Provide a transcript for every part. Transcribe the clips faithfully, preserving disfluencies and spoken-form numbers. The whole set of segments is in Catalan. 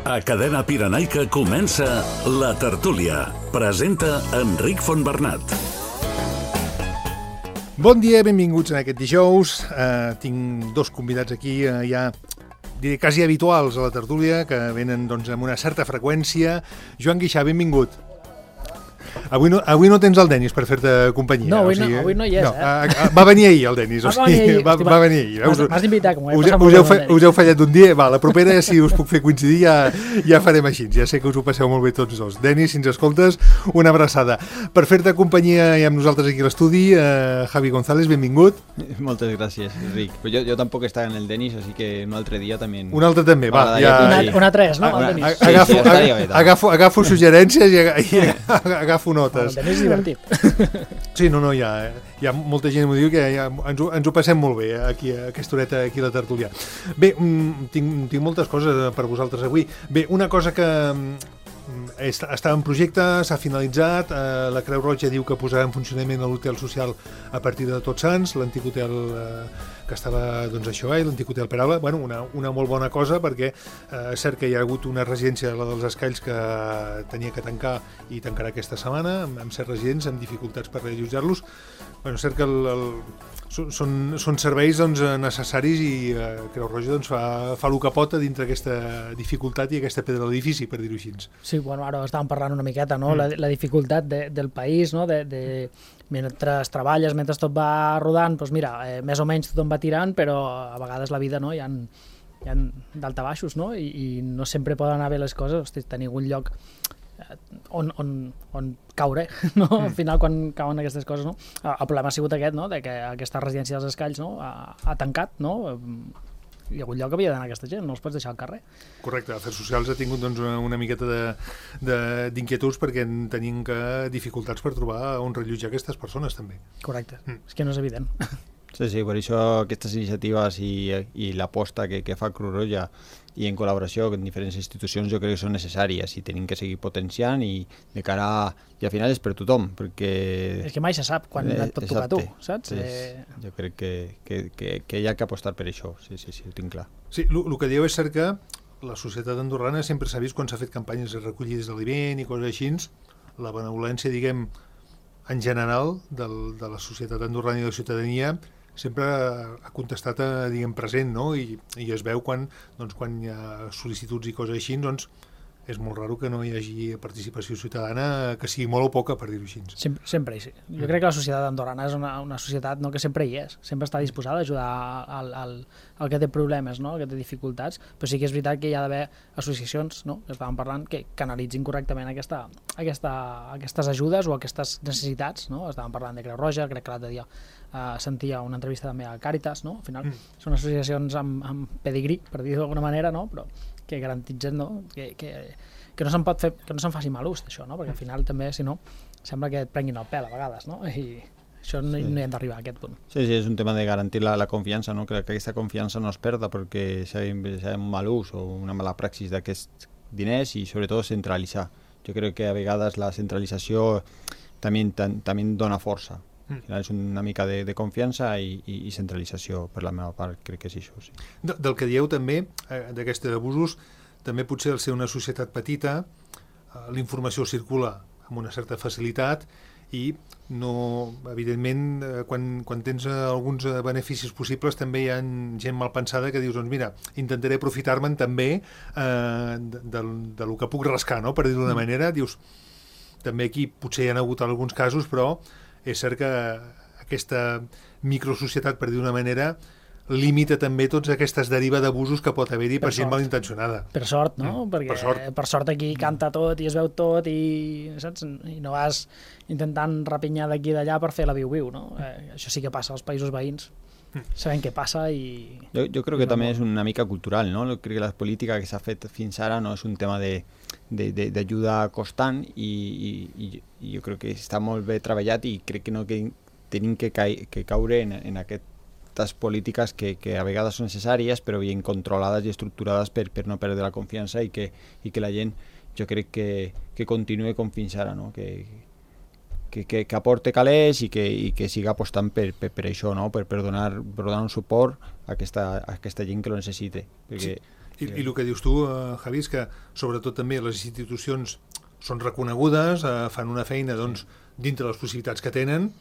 A Cadena Pirenaica comença La Tertúlia. Presenta Enric Fontbernat. Bon dia, benvinguts en aquest dijous. Uh, tinc dos convidats aquí, uh, ja diré quasi habituals a La Tertúlia, que venen doncs, amb una certa freqüència. Joan Guixà, benvingut. Avui no, avui no tens el Denis per fer-te companyia. No, avui, o sigui, no, avui no hi és, no, eh? A, a, va venir ahir el Denis, o sigui, ahir, va, va venir ahir. M'has, m'has d'invitar, com ho he us, passat us, molt heu bé fe, amb el us heu fallat un dia, va, la propera, si us puc fer coincidir, ja, ja farem així. Ja sé que us ho passeu molt bé tots dos. Denis, si ens escoltes, una abraçada. Per fer-te companyia i amb nosaltres aquí a l'estudi, eh, Javi González, benvingut. Moltes gràcies, Enric. Però jo, jo tampoc estava en el Denis, així que un altre dia també... Un altre també, va. Ja, una, una tres, no? Una, El Denis. sí, agafo, sí, estaria bé, agafo, agafo suggerències i, i agafo notes. El Denis és divertit. Sí, no, no, hi ha, hi ha molta gent que m'ho diu que ja, ens, ho, ens ho passem molt bé aquí, a aquesta horeta aquí a la tertúlia. Bé, mm, tinc, tinc moltes coses per vosaltres avui. Bé, una cosa que mm, està en projecte, s'ha finalitzat, eh, la Creu Roja diu que posarà en funcionament l'hotel social a partir de Tots Sants, l'antic hotel eh, que estava, doncs això, eh, l'antic hotel Peralba, bueno, una, una molt bona cosa perquè eh, és cert que hi ha hagut una residència, la dels Escaills, que tenia que tancar i tancarà aquesta setmana, amb, amb certs residents, amb dificultats per reallotjar-los. Bueno, és cert que el, el, són, són serveis doncs, necessaris i eh, Creu Roja doncs, fa, fa el que pot dintre aquesta dificultat i aquesta pedra de l'edifici, per dir-ho així. Sí, bueno, ara estàvem parlant una miqueta, no? Mm. La, la dificultat de, del país, no? De, de, mentre treballes, mentre tot va rodant, doncs mira, eh, més o menys tothom va tirant, però a vegades la vida, no? Hi ha, hi ha daltabaixos, no? I, i no sempre poden anar bé les coses. Hosti, tenir un lloc on, on, on caure, no? Mm. Al final, quan cauen aquestes coses, no? El problema ha sigut aquest, no? De que aquesta residència dels Escaills, no? ha, ha tancat, no? Hi ha hagut lloc que havia d'anar aquesta gent, no els pots deixar al carrer. Correcte, Afers Socials ha tingut doncs, una, una miqueta d'inquietuds perquè tenim que dificultats per trobar on rellotjar aquestes persones també. Correcte, mm. és que no és evident. Sí, sí, per això aquestes iniciatives i, i l'aposta que, que fa Creu Roja i en col·laboració amb diferents institucions jo crec que són necessàries i tenim que seguir potenciant i de cara a... i al final és per tothom, perquè... És que mai se sap quan et pot tocar a tu, saps? Sí, eh... Jo crec que, que, que, que hi ha que apostar per això, sí, sí, sí, ho tinc clar. Sí, el que dieu és cert que la societat andorrana sempre s'ha vist quan s'ha fet campanyes de recollides d'aliment i coses així, la benevolència, diguem, en general, del, de la societat andorrana i de la ciutadania sempre ha contestat, a, diguem, present, no? I, i es veu quan, doncs, quan hi ha sol·licituds i coses així, doncs és molt raro que no hi hagi participació ciutadana, que sigui molt o poca, per dir-ho així. Sempre, sempre hi sí. Jo crec que la societat andorrana és una, una societat, no, que sempre hi és, sempre està disposada a ajudar al, al, al que té problemes, no? Al que té dificultats, però sí que és veritat que hi ha d'haver associacions, no? Que estàvem parlant, que canalitzin correctament aquesta, aquesta, aquestes ajudes o aquestes necessitats, no? Estàvem parlant de Creu Roja, crec que l'altre dia Uh, sentia una entrevista també a Càritas, no? Al final mm. són associacions amb, amb pedigrí, per dir-ho d'alguna manera, no? Però que garantitzen, no? que, que, que no se'n pot fer, que no se'n faci mal ús d'això, no? Perquè al final també, si no, sembla que et prenguin el pèl a vegades, no? I això no, sí. no hi hem d'arribar a aquest punt. Sí, sí, és un tema de garantir la, la confiança, no? Que, que aquesta confiança no es perda perquè s'ha un mal ús o una mala praxis d'aquests diners i sobretot centralitzar. Jo crec que a vegades la centralització també, també dona força. Al final és una mica de, de confiança i, i, i centralització, per la meva part, crec que és això. Sí. De, del que dieu també, eh, d'aquests abusos, també potser al ser una societat petita, eh, la informació circula amb una certa facilitat i no, evidentment, eh, quan, quan tens eh, alguns eh, beneficis possibles també hi ha gent mal pensada que dius, doncs mira, intentaré aprofitar-me'n també eh, de, de, de lo que puc rascar, no? Per dir-ho d'una manera, dius, també aquí potser hi ha hagut alguns casos, però és cert que aquesta microsocietat, per dir d'una manera, limita també totes aquestes derives d'abusos que pot haver-hi per, per gent malintencionada. Per sort, no? Mm, Perquè per sort. per sort aquí canta tot i es veu tot i, saps? I no vas intentant rapinyar d'aquí i d'allà per fer la viu-viu, no? Eh, això sí que passa als països veïns. Sabem què passa i... Jo, jo crec que també és una mica cultural, no? Crec que la política que s'ha fet fins ara no és un tema de d'ajuda constant i, i, i jo crec que està molt bé treballat i crec que no que tenim que, ca que caure en, en aquestes polítiques que, que a vegades són necessàries però ben controlades i estructurades per, per no perdre la confiança i que, i que la gent jo crec que, que continuï com fins ara, no? que, que, que, que aporte calés i que, i que siga apostant per, per, per això, no? per, per, donar, per donar un suport a aquesta, a aquesta gent que lo necessite. Perquè sí. I, i el que dius tu, eh, Javi, és que sobretot també les institucions són reconegudes, eh, fan una feina doncs, dintre les possibilitats que tenen,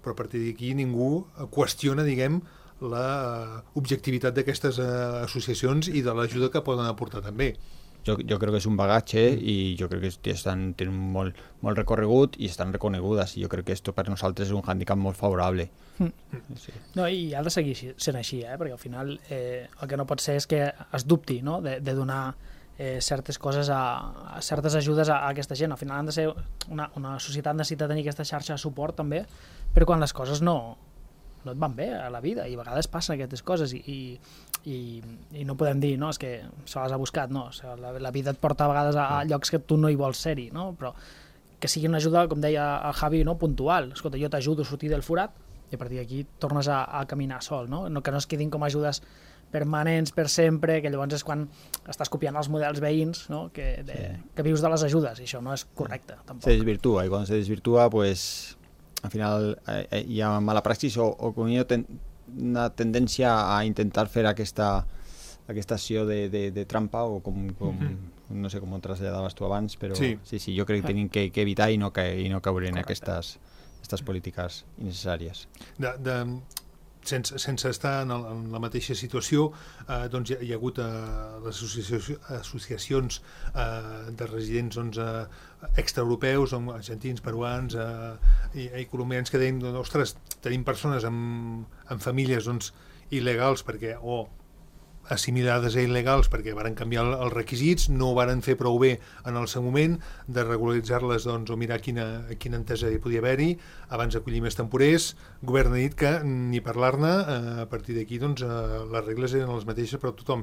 però a partir d'aquí ningú qüestiona, diguem, la objectivitat d'aquestes eh, associacions i de l'ajuda que poden aportar també. Jo, jo crec que és un bagatge i jo crec que estan, tenen molt, molt recorregut i estan reconegudes i jo crec que esto per nosaltres és un hàndicap molt favorable. Mm. Sí. No, i ha de seguir sent així, eh? Perquè al final eh, el que no pot ser és que es dubti, no? de, de donar eh, certes coses, a, a certes ajudes a, a aquesta gent. Al final han de ser una, una societat necessita tenir aquesta xarxa de suport també, però quan les coses no, no et van bé a la vida i a vegades passen aquestes coses i, i I, i no podem dir, no, és que se les ha buscat, no, o sigui, la, la vida et porta a vegades a, a llocs que tu no hi vols ser-hi, no, però que sigui una ajuda, com deia el Javi, no, puntual. Escolta, jo t'ajudo a sortir del forat i a partir d'aquí tornes a, a caminar sol, no? No, que no es quedin com ajudes permanents per sempre, que llavors és quan estàs copiant els models veïns, no? que, de, sí. que vius de les ajudes, i això no és correcte, tampoc. Se desvirtua, i quan se desvirtua, pues, al final eh, hi ha mala praxis o, o com ten una tendència a intentar fer aquesta, aquesta acció de, de, de trampa o com, com mm-hmm. no sé com ho traslladaves tu abans, però sí, sí, sí jo crec que tenim que, que evitar i no, que, i no caure en aquestes, aquestes polítiques innecessàries. De, de, sense, sense estar en, el, en la mateixa situació, eh, doncs hi ha, hi ha hagut eh, les associacions, associacions eh, de residents doncs, eh, extraeuropeus, argentins, peruans eh, i, i colombians que deien, doncs, ostres, tenim persones amb, amb famílies doncs, il·legals perquè o assimilades a il·legals perquè varen canviar els requisits, no ho varen fer prou bé en el seu moment de regularitzar-les doncs, o mirar quina, quina entesa hi podia haver-hi abans d'acollir més temporers. El govern ha dit que ni parlar-ne, eh, a partir d'aquí doncs, eh, les regles eren les mateixes per a tothom.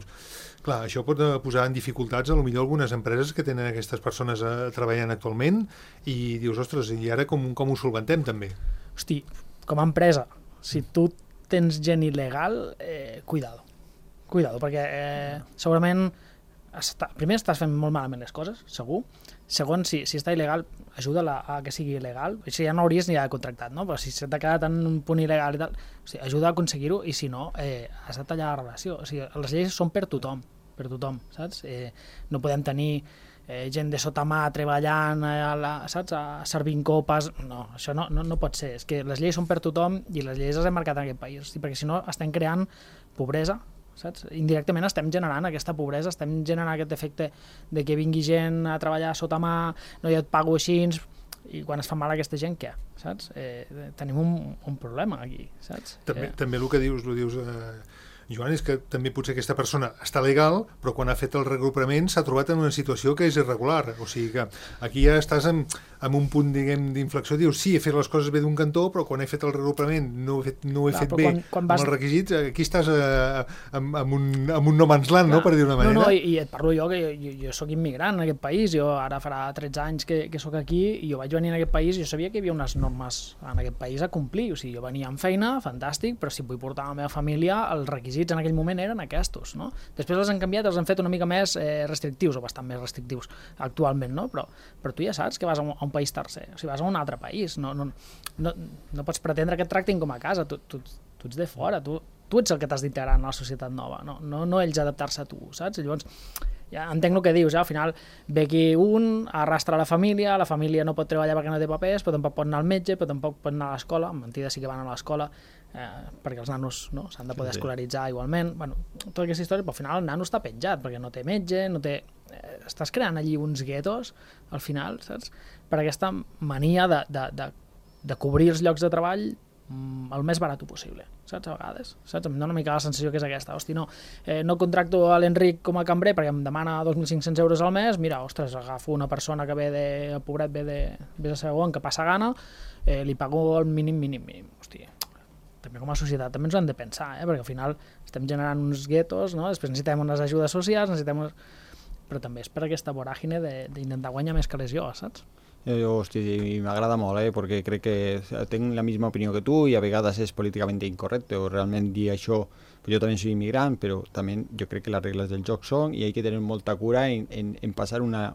Clar, això pot posar en dificultats a lo millor algunes empreses que tenen aquestes persones eh, treballant actualment i dius, ostres, i ara com, com ho solventem també? Hosti, com a empresa, si tu tens gent il·legal, eh, cuidado. Cuidado, perquè eh, segurament està, primer estàs fent molt malament les coses, segur. Segon, si, si està il·legal, ajuda-la a que sigui il·legal. Això ja no hauries ni d'haver contractat, no? Però si s'ha quedat en un punt il·legal i tal, o sigui, ajuda a aconseguir-ho i si no, eh, has de tallar la relació. O sigui, les lleis són per tothom, per tothom, saps? Eh, no podem tenir eh, gent de sota mà treballant, a la, saps? A servint copes, no, això no, no, no pot ser. És que les lleis són per tothom i les lleis les hem marcat en aquest país, hosti, perquè si no estem creant pobresa, saps? Indirectament estem generant aquesta pobresa, estem generant aquest efecte de que vingui gent a treballar sota mà, no, jo et pago així, i quan es fa mal a aquesta gent, què? Saps? Eh, tenim un, un problema aquí, saps? També, eh. també el que dius, el dius eh, Joan, és que també potser aquesta persona està legal, però quan ha fet el regrupament s'ha trobat en una situació que és irregular, o sigui que aquí ja estàs en, en un punt, diguem, d'inflexió, dius, sí, he fet les coses bé d'un cantó, però quan he fet el regrupament no ho he fet, no ho he Clar, fet bé quan, quan vas... amb els requisits, aquí estàs eh, amb, amb, un, amb un no man's land, Clar. No?, per dir una manera. No, no, i, i et parlo jo, que jo, jo, jo soc immigrant en aquest país, jo ara farà tretze anys que, que sóc aquí, i jo vaig venir en aquest país i jo sabia que hi havia unes normes en aquest país a complir, o sigui, jo venia amb feina, fantàstic, però si vull portar la meva família, els requisits en aquell moment eren aquests, no? Després els han canviat, els han fet una mica més eh, restrictius, o bastant més restrictius actualment, no? Però, però tu ja saps que vas a un, a un país tercer, o sigui, vas a un altre país, no, no, no, no pots pretendre que et tractin com a casa, tu, tu, tu ets de fora, tu, tu ets el que t'has d'integrar en la societat nova, no, no, no ells adaptar-se a tu, saps? I llavors, ja entenc el que dius, eh? Al final ve aquí un, arrastra la família, la família no pot treballar perquè no té papers, però tampoc pot anar al metge, però tampoc pot anar a l'escola, en mentida sí que van a l'escola, eh, perquè els nanos no, s'han de poder sí. escolaritzar igualment, bueno, tota aquesta història, però al final el nano està penjat, perquè no té metge, no té... Eh, estàs creant allí uns guetos, al final, saps? Per aquesta mania de, de, de, de cobrir els llocs de treball mm, el més barat possible, saps, a vegades, saps? Em dona una mica la sensació que és aquesta, hosti, no, eh, no contracto a l'Enric com a cambrer perquè em demana dos mil cinc-cents euros al mes, mira, ostres, agafo una persona que ve de, el pobret ve de, ve de segon, que passa gana, eh, li pago el mínim, mínim, mínim, hosti, també com a societat també ens ho hem de pensar, eh? Perquè al final estem generant uns guetos, no? Després necessitem unes ajudes socials, necessitem unes... però també és per aquesta voràgine d'intentar guanyar més que les jo, saps? Jo, hosti, m'agrada molt, eh? Perquè crec que tinc la misma opinió que tu i a vegades és políticament incorrecte o realment dir això, jo també soy immigrant, però també jo crec que les regles del joc són i hay que tenir molta cura en, en, en pasar una,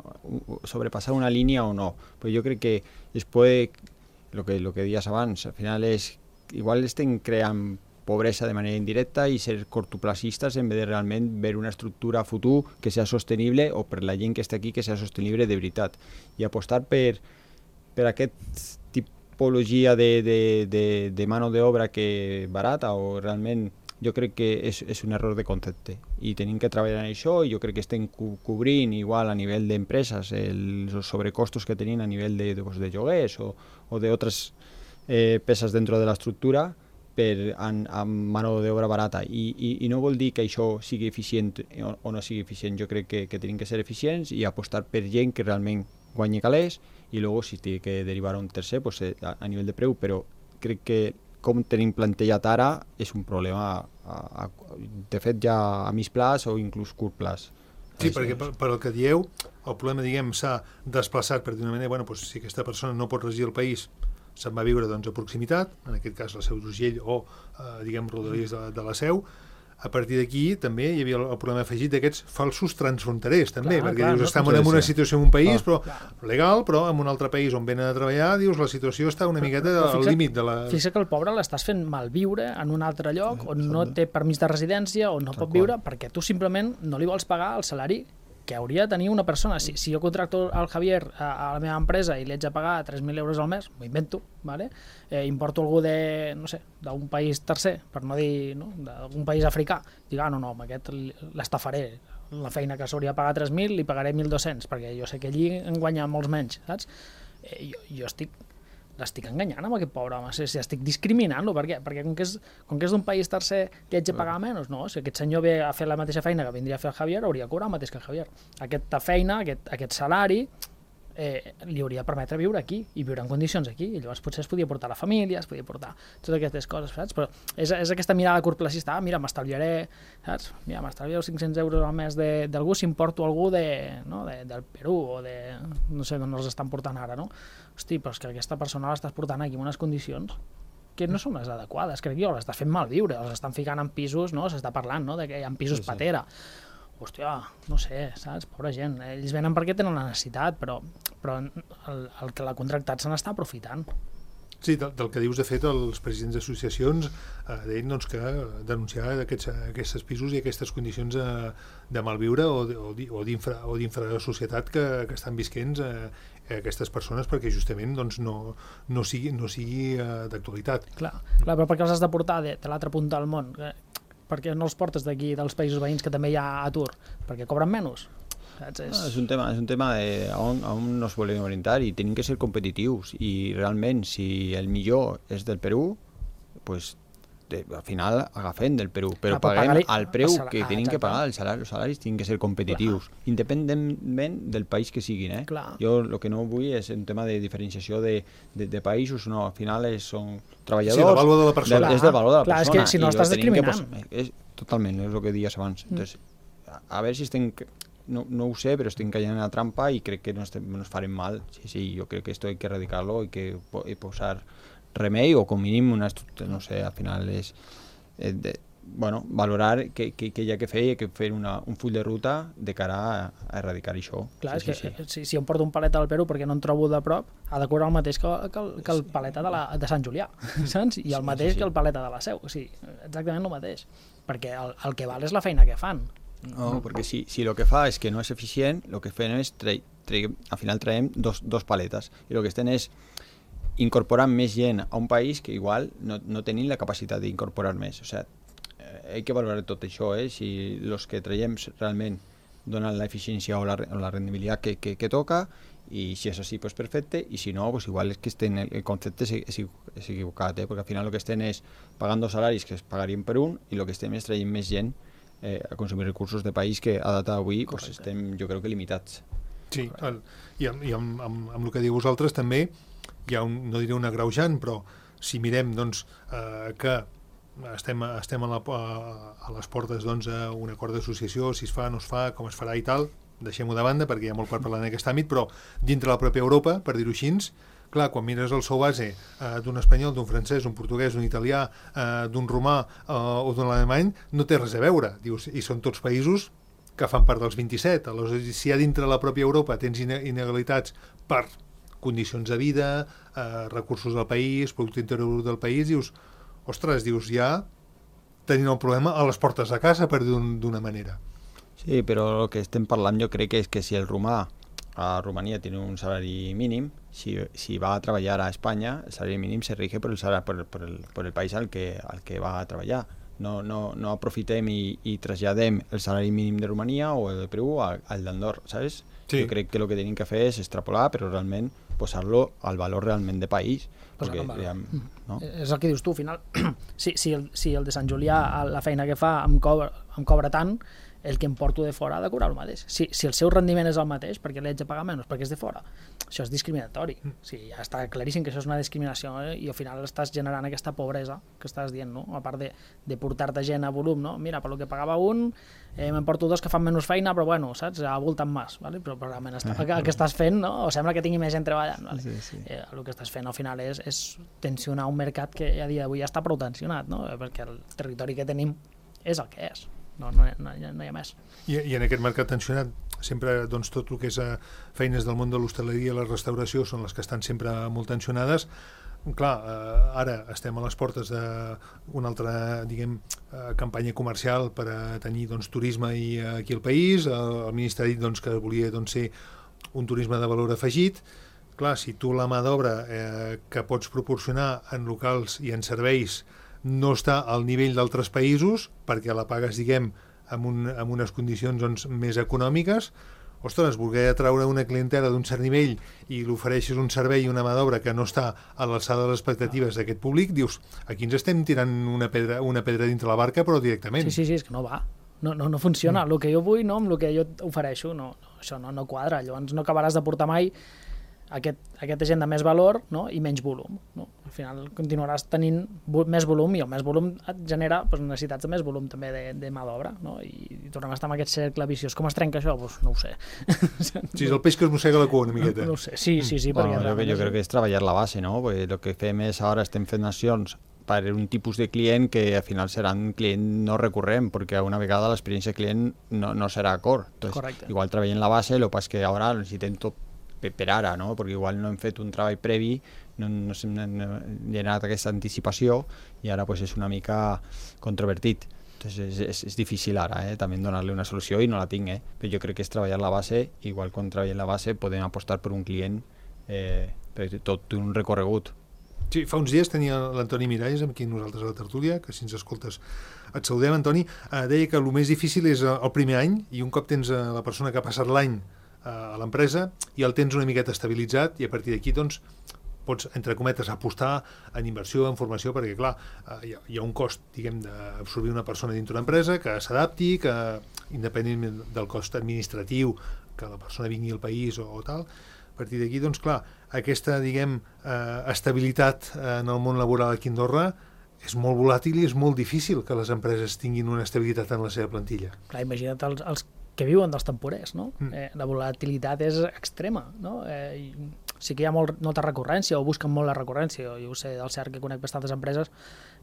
sobrepasar una línia o no. Però jo crec que es puede, lo que, lo que dies abans, al final és igual estem creant pobresa de manera indirecta i ser cortoplacistes en vez de realment veure una estructura a futur que sea sostenible o per la gent que està aquí que sea sostenible de veritat. I apostar per, per aquest tipologia de, de, de, de mano d'obra que barata o realment jo crec que és, és un error de concepte i tenim que treballar en això i jo crec que estem co cobrint igual a nivell d'empreses els sobrecostos que tenim a nivell de, de, pues, de lloguers o, o d'altres eh, peces dentro de l'estructura per amb mano d'obra barata I, i, i no vol dir que això sigui eficient o, o no sigui eficient, jo crec que, que tenim que ser eficients i apostar per gent que realment guanyi calés i luego si té que derivar a un tercer pues, a, a nivell de preu, però crec que com tenim plantejat ara és un problema a, a, de fet ja a mig plaç o inclús curt plaç. Sí, perquè per, per el que dieu, el problema, diguem, s'ha desplaçat per d'una manera, bueno, doncs, si aquesta persona no pot residir al país, se'n va viure doncs, a proximitat, en aquest cas la Seu d'Urgell o, eh, diguem, rodalies de, de la Seu. A partir d'aquí també hi havia el, el problema afegit d'aquests falsos transfronterers, també, clar, perquè clar, dius, no, estem en una situació en un país, però legal, però en un altre país on venen a treballar, dius, la situació està una miqueta al límit de la... Fixa que el pobre l'estàs fent malviure en un altre lloc on no té permís de residència, on no pot viure, perquè tu simplement no li vols pagar el salari que hauria de tenir una persona. Si, si jo contracto el Javier a, a la meva empresa i li haig de pagar tres mil euros al mes, m'ho invento, ¿vale? eh, importo algú de, no sé, d'un país tercer, per no dir, no? D'algun país africà, dic, ah, no, no, amb aquest l'estafaré, la feina que s'hauria de pagar tres mil li pagaré mil dos-cents, perquè jo sé que allí en guanya molts menys, saps? Eh, jo, jo estic l'estic enganyant amb aquest pobre home, si, si estic discriminant-lo, per què? Perquè com que és, com que és d'un país tercer li haig de pagar menys, no, si aquest senyor ve a fer la mateixa feina que vindria a fer el Javier, hauria de cobrar el mateix que el Javier. Aquesta feina, aquest, aquest salari, eh, li hauria de permetre viure aquí, i viure en condicions aquí, i llavors potser es podia portar la família, es podia portar totes aquestes coses, saps? Però és, és aquesta mirada curtplacista, ah, mira, m'estalviaré, saps? Mira, m'estalviaré cinc-cents euros al mes d'algú si em porto algú de, no, de, del Perú o de, no sé d'on els estan portant ara, no? Hosti, però és que aquesta persona l'estàs portant aquí en unes condicions que no són les adequades, crec jo, l'estàs fent malviure, els estan ficant en pisos, no? S'està parlant, no?, de que hi ha pisos sí, sí. patera. Hòstia, no sé, saps? Pobra gent. Ells venen perquè tenen la necessitat, però, però el, el que l'ha contractat se n'està aprofitant. Sí, del, del que dius, de fet, els presidents d'associacions eh, deien doncs, que denunciar aquests, aquests pisos i aquestes condicions eh, de malviure o, o d'infrasocietat que, que estan visquents eh, aquestes persones perquè justament doncs, no, no sigui, no sigui eh, d'actualitat. Clar, clar, però perquè els has de portar de, de l'altra punta del món? Eh? Perquè no els portes d'aquí, dels països veïns, que també hi ha atur? Perquè cobren menys? Saps? És... No, és un tema, és un tema de on, on nos volem orientar i tenim que ser competitius i realment si el millor és del Perú, pues, de, al final agafem del Perú, però ah, paguem al preu el que ah, tenim que pagar, els salaris, els salaris tenen que ser competitius, clar. Independentment del país que siguin. Eh? Jo el que no vull és un tema de diferenciació de, de, de països, no, al final és, són treballadors... Sí, el valor de la persona. De, és del valor de la clar, persona. És que si no estàs discriminant. Que, és, totalment, és el que deies abans. Mm. Entonces, a, a veure si estem... No, no ho sé, però estem caient en la trampa i crec que no estem, nos farem mal. Sí, sí, jo crec que esto hay que erradicarlo y que y posar remei o com mínim una estructura, no sé, al final és eh, de, bueno, valorar que, que, que hi ha que fer i que fer una, un full de ruta de cara a, a erradicar això. Clar, sí, és sí, que sí. Si, si em porto un paleta del Perú perquè no en trobo de prop, ha de cobrar el mateix que, que, el, que el paleta de, la, de Sant Julià, saps? I el mateix sí, sí, sí. que el paleta de la Seu, o sigui, exactament el mateix, perquè el, el que val és la feina que fan. No, perquè si, si el que fa és que no és eficient, el que fem és, tre, tre, al final traiem dos, dos paletes, i el que estem és incorporant més gent a un país que igual no, no tenim la capacitat d'incorporar més. O sigui, eh, hay que valorar tot això, eh? Si els que traiem realment donen l'eficiència o, la, o la rendibilitat que, que, que toca, i si és així, pues perfecte, i si no, pues igual és que estem, el concepte és, és, és equivocat, eh? Perquè al final el que estem és pagant dos salaris que es pagarien per un, i el que estem és traient més gent Eh, a consumir recursos de país que a data d'avui pues, estem, jo crec que limitats. Sí, el, i, amb, i amb, amb, amb el que diu vosaltres també hi ha un, no diré un agreujant, però si mirem doncs, eh, que estem, estem a, la, a, a les portes doncs, a un acord d'associació, si es fa, no es fa, com es farà i tal, deixem-ho de banda perquè hi ha molt per parlar en aquest àmbit, però dintre la pròpia Europa, per dir-ho així, clar, quan mires el seu base eh, d'un espanyol, d'un francès, d'un portuguès, d'un italià, eh, d'un romà eh, o d'un alemany, no té res a veure. Dius, i són tots països que fan part dels vint-i-set. Aleshores, si a dintre la pròpia Europa tens inegalitats per condicions de vida, eh, recursos del país, producte interior del país, dius, ostres, dius, ja tenint el problema a les portes de casa, per dir-ho d'una manera. Sí, però el que estem parlant jo crec que és que si el romà a Rumanía tiene un salario mínimo, si, si va a trabajar a España, el salario mínimo se rige por el, salario, por el, por el, por el país al que, al que va a trabajar. No, no, no aprofitem i, i traslladem el salari mínim de Romania o el de Perú al, al d'Andorra, ¿sabes? Sí. Jo crec que el que tenim que fer és extrapolar, però realment posar-lo al valor realment de país. Perquè, ja, no? És el que dius tu, al final. si, si, el, si el de Sant Julià, la feina que fa, em cobra, em cobra tant, el que em porto de fora ha de cobrar el mateix. Si, si el seu rendiment és el mateix, perquè l'haig de pagar menys, perquè és de fora. Això és discriminatori. O sigui, ja està claríssim que això és una discriminació, eh? I al final estàs generant aquesta pobresa que estàs dient, no? A part de, de portar-te gent a volum, no? Mira, per lo que pagava un, eh, m'emporto dos que fan menys feina, però bueno, saps? Abulten més, ¿vale? Però, però realment està, el, que, el que estàs fent, no? O sembla que tingui més gent treballant, ¿vale? Sí, sí. Eh, el que estàs fent al final és, és tensionar un mercat que a dia d'avui ja està prou tensionat, no? Perquè el territori que tenim és el que és. No, no, no, no hi ha més. I, i en aquest mercat tensionat, sempre doncs, tot el que és uh, feines del món de l'hostaleria i la restauració són les que estan sempre molt tensionades. Clar, uh, ara estem a les portes d'una altra, diguem, uh, campanya comercial per a tenir doncs, turisme i, uh, aquí al país. Uh, el ministre ha dit doncs, que volia doncs, ser un turisme de valor afegit. Clar, si tu la mà d'obra eh, que pots proporcionar en locals i en serveis no està al nivell d'altres països, perquè la pagues, diguem, amb, un, amb unes condicions doncs, més econòmiques, ostres, voler atraure una clientela d'un cert nivell i l'ofereixes un servei i una mà d'obra que no està a l'alçada de les expectatives d'aquest públic, dius, aquí ens estem tirant una pedra, una pedra dintre la barca, però directament. Sí, sí, sí, és que no va. No, no, no funciona. Mm. El que jo vull, no, amb el que jo ofereixo, no, no, això no, no quadra. Llavors no acabaràs de portar mai aquest, aquesta gent de més valor, no? I menys volum, no? Al final continuaràs tenint vo més volum i el més volum et genera pues, necessitats de més volum també de, de mà d'obra, no? I, i tornem a estar amb aquest cercle viciós. Com es trenca això? Pues, no ho sé. Sí, és el peix que es mossega la cua una miqueta. No, no ho sé, sí, sí, sí. Bueno, perquè jo, jo crec que és treballar la base, no? Perquè el que fem és ara estem fent accions per un tipus de client que al final serà un client no recurrent, perquè una vegada l'experiència de client no, no serà acord. Entonces, correcte. Igual treballem la base, el que passa és que ara necessitem tot per ara, no? Perquè igual no hem fet un treball previ, no, no hem generat aquesta anticipació i ara pues, és una mica controvertit. Entonces, és, és, és difícil ara eh? també donar-li una solució i no la tinc, eh? Però jo crec que és treballar la base, igual quan treballem la base podem apostar per un client eh, per tot un recorregut. Sí, fa uns dies tenia l'Antoni Miralles amb qui nosaltres a la tertúlia, que si ens escoltes et saludem, Antoni, eh, deia que el més difícil és el primer any i un cop tens eh, la persona que ha passat l'any a l'empresa i el tens una miqueta estabilitzat i a partir d'aquí doncs pots, entre cometes, apostar en inversió, en formació, perquè clar, hi ha, hi ha un cost, diguem, d'absorbir una persona dintre una empresa que s'adapti, que independentment del cost administratiu, que la persona vingui al país o, o tal, a partir d'aquí, doncs clar, aquesta, diguem, eh, estabilitat en el món laboral aquí a Andorra és molt volàtil i és molt difícil que les empreses tinguin una estabilitat en la seva plantilla. Clar, imagina't els, els que viuen dels temporers, no? Mm. Eh, la volatilitat és extrema, no? Eh, i sí que hi ha molt, molta recurrència o busquen molt la recurrència, jo ho sé del cert que conec bastantes empreses,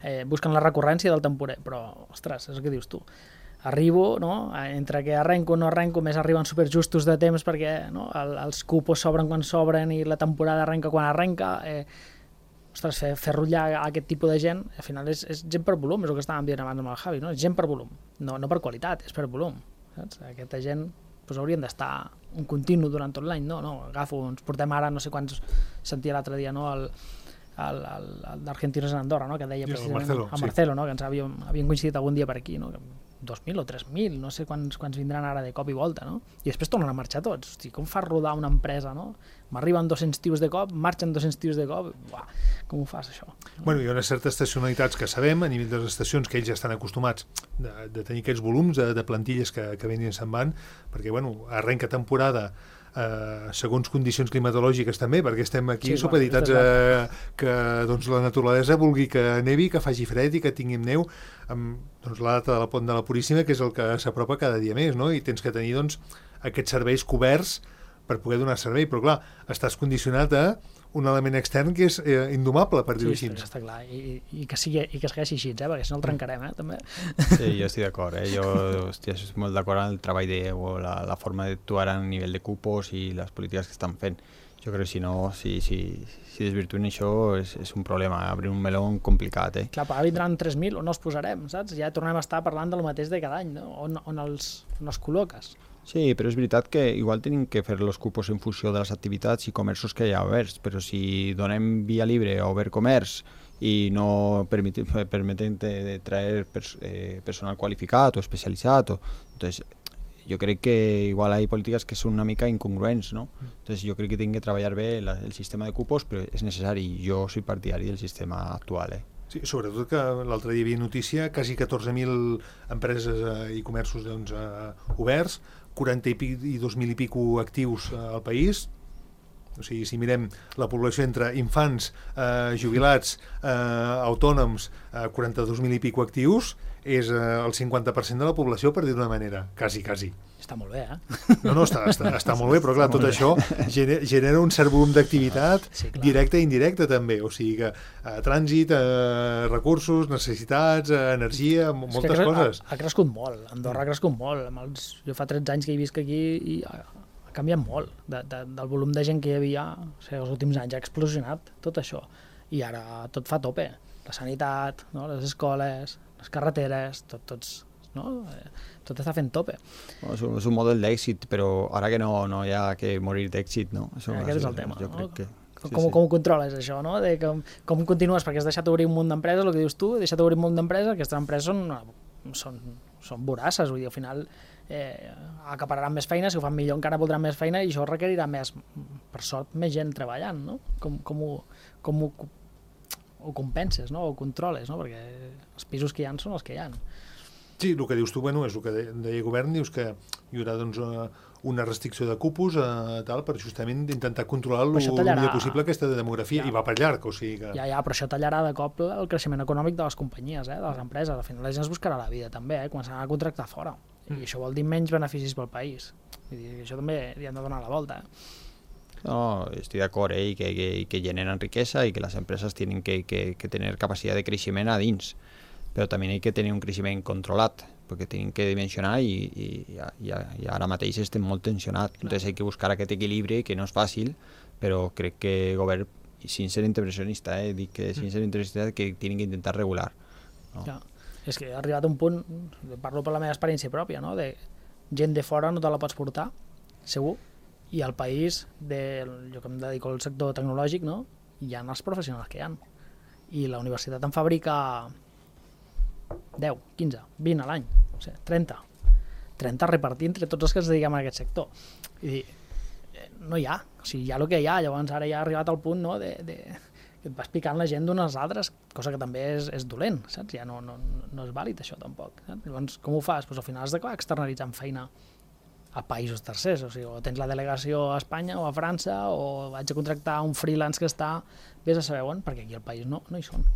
eh, busquen la recurrència del temporer, però, ostres, és el que dius tu. Arribo, no? Entre que arrenco o no arrenco, més arriben superjustos de temps perquè no? El, els cupos s'obren quan s'obren i la temporada arrenca quan arrenca. Eh, ostres, fer, fer rotllar aquest tipus de gent, al final és, és gent per volum, és el que estàvem dient abans amb el Javi, no? És gent per volum, no, no per qualitat, és per volum. Saps? Aquesta gent doncs, haurien d'estar un continu durant tot l'any, no? no? Agafo, ens portem ara, no sé quants sentia l'altre dia, no? el, el, el, el d'Argentinos en Andorra, no? Que deia precisament Marcelo, a Marcelo, sí. No? Que ens havíem, havíem coincidit algun dia per aquí, no? dos mil o tres mil, no sé quants, quants vindran ara de cop i volta, no? I després tornen a marxar tots. Hosti, com fas rodar una empresa, no? M'arriben dos-cents tios de cop, marxen dos-cents tios de cop, uah, com ho fas, això? Bueno, hi ha unes certes estacionalitats que sabem, a nivell de les estacions, que ells ja estan acostumats de, de tenir aquests volums de, de plantilles que, que venen i se'n van, perquè, bueno, arrenca temporada eh, segons condicions climatològiques també, perquè estem aquí sí, supeditats a que doncs, la naturalesa vulgui que nevi, que faci fred i que tinguem neu, amb doncs, la data de la Pont de la Puríssima, que és el que s'apropa cada dia més, no? I tens que tenir doncs, aquests serveis coberts per poder donar servei, però clar, estàs condicionat a un element extern que és eh, indomable, per dir-ho sí, així. Està clar, i, i, que sigui, i que segueixi així, eh? Perquè si no el trencarem, eh? També. Sí, jo estic d'acord, eh? Jo hòstia, estic molt d'acord amb el treball de, o la, la forma d'actuar a nivell de cupos i les polítiques que estan fent. Jo crec que si no, si, si, si desvirtuen això és, és un problema, obrir un meló complicat. Eh? Clar, però ara vindran tres mil, on els posarem, saps? Ja tornem a estar parlant del mateix de cada any, no? On, on, els, on els col·loques. Sí, però és veritat que igual tenim que fer els cupos en funció de les activitats i comerços que hi ha oberts, però si donem via libre a obert comerç i no permetem, permetem de traer pers eh, personal qualificat o especialitzat, o, entonces, jo crec que igual hi ha polítiques que són una mica incongruents, no? Entonces jo crec que tinc que treballar bé la, el sistema de cupos, però és necessari. Jo soy partidari del sistema actual. Eh? Sí, sobretot que l'altre dia hi havia notícia, quasi catorze mil empreses eh, i comerços doncs, eh, oberts, quaranta i dos mil i pico actius eh, al país. O sigui, si mirem la població entre infants, eh, jubilats, eh, autònoms, eh, quaranta-dos mil i pico actius, és eh, el cinquanta per cent de la població, per dir d'una manera, quasi, quasi. Està molt bé, eh? No, no, està, està, està molt bé, però clar, tot això genera, genera un cert volum d'activitat sí, directa i indirecta també, o sigui que eh, trànsit, eh, recursos, necessitats, eh, energia, moltes que ha, coses. Ha, ha crescut molt, Andorra ha crescut molt. Amb els, jo fa tretze anys que he visc aquí i ha, ha canviat molt de, de, del volum de gent que hi havia, o sigui, els últims anys ha explosionat tot això i ara tot fa tope, la sanitat, no? Les escoles, les carreteres, tot, tots, no? Tot està fent tope. No, és, un, és un model d'èxit, però ara que no, no hi ha que morir d'èxit, no? Això, aquest és el tema, jo no? crec que... Sí, com, sí. com ho controles, això, no? De com, com continues, perquè has deixat obrir un munt d'empreses, el que dius tu, deixat obrir un munt d'empreses, aquestes empreses són, són, són vorasses, vull dir, al final eh, acapararan més feina, si ho fan millor encara voldran més feina i això requerirà més, per sort, més gent treballant, no? Com, com, ho, com ho, ho compenses, no? O controles, no? Perquè els pisos que hi ha són els que hi ha. Sí, el que dius tu, bueno, és el que deia el govern, dius que hi haurà doncs, una restricció de cupos eh, tal, per justament intentar controlar el millor possible aquesta demografia, ja. I va per llarg, o sigui que... Ja, ja, però això tallarà de cop el creixement econòmic de les companyies, eh, de les empreses. Al final la gent es buscarà la vida també, eh, començaran a contractar fora. I mm. això vol dir menys beneficis pel país. Vull dir, això també hi han de donar la volta. Eh? No, estic d'acord, eh, i que, que, que generen riquesa i que les empreses tenen que, que, que tenir capacitat de creixement a dins. Però també hi ha que tenir un creixement controlat, perquè tenim que dimensionar i, i, i, i ara mateix estem molt tensionats. Entonces hay que buscar aquest equilibri, que no és fàcil, però crec que el govern, sin ser intervencionista, eh, dic que sin ser intervencionista, que tenen que intentar regular. No? Ja. És que ha arribat un punt, parlo per la meva experiència pròpia, no? De gent de fora no te la pots portar, segur, i al país, de, jo que em dedico al sector tecnològic, no? Hi ha els professionals que hi ha. I la universitat en fabrica deu, quinze, vint a l'any, o sigui, trenta. trenta repartir entre tots els que ens dediquem a aquest sector. I dir, no hi ha, o sigui, hi ha el que hi ha, llavors ara ja ha arribat al punt, no?, de, de, que et vas picant la gent d'unes altres, cosa que també és, és dolent, saps? Ja no, no, no és vàlid això tampoc. Saps? Llavors, com ho fas? Pues al final has d'acabar externalitzant feina a països tercers, o sigui, o tens la delegació a Espanya o a França, o vaig a contractar un freelance que està, vés a saber on, perquè aquí al país no, no hi són.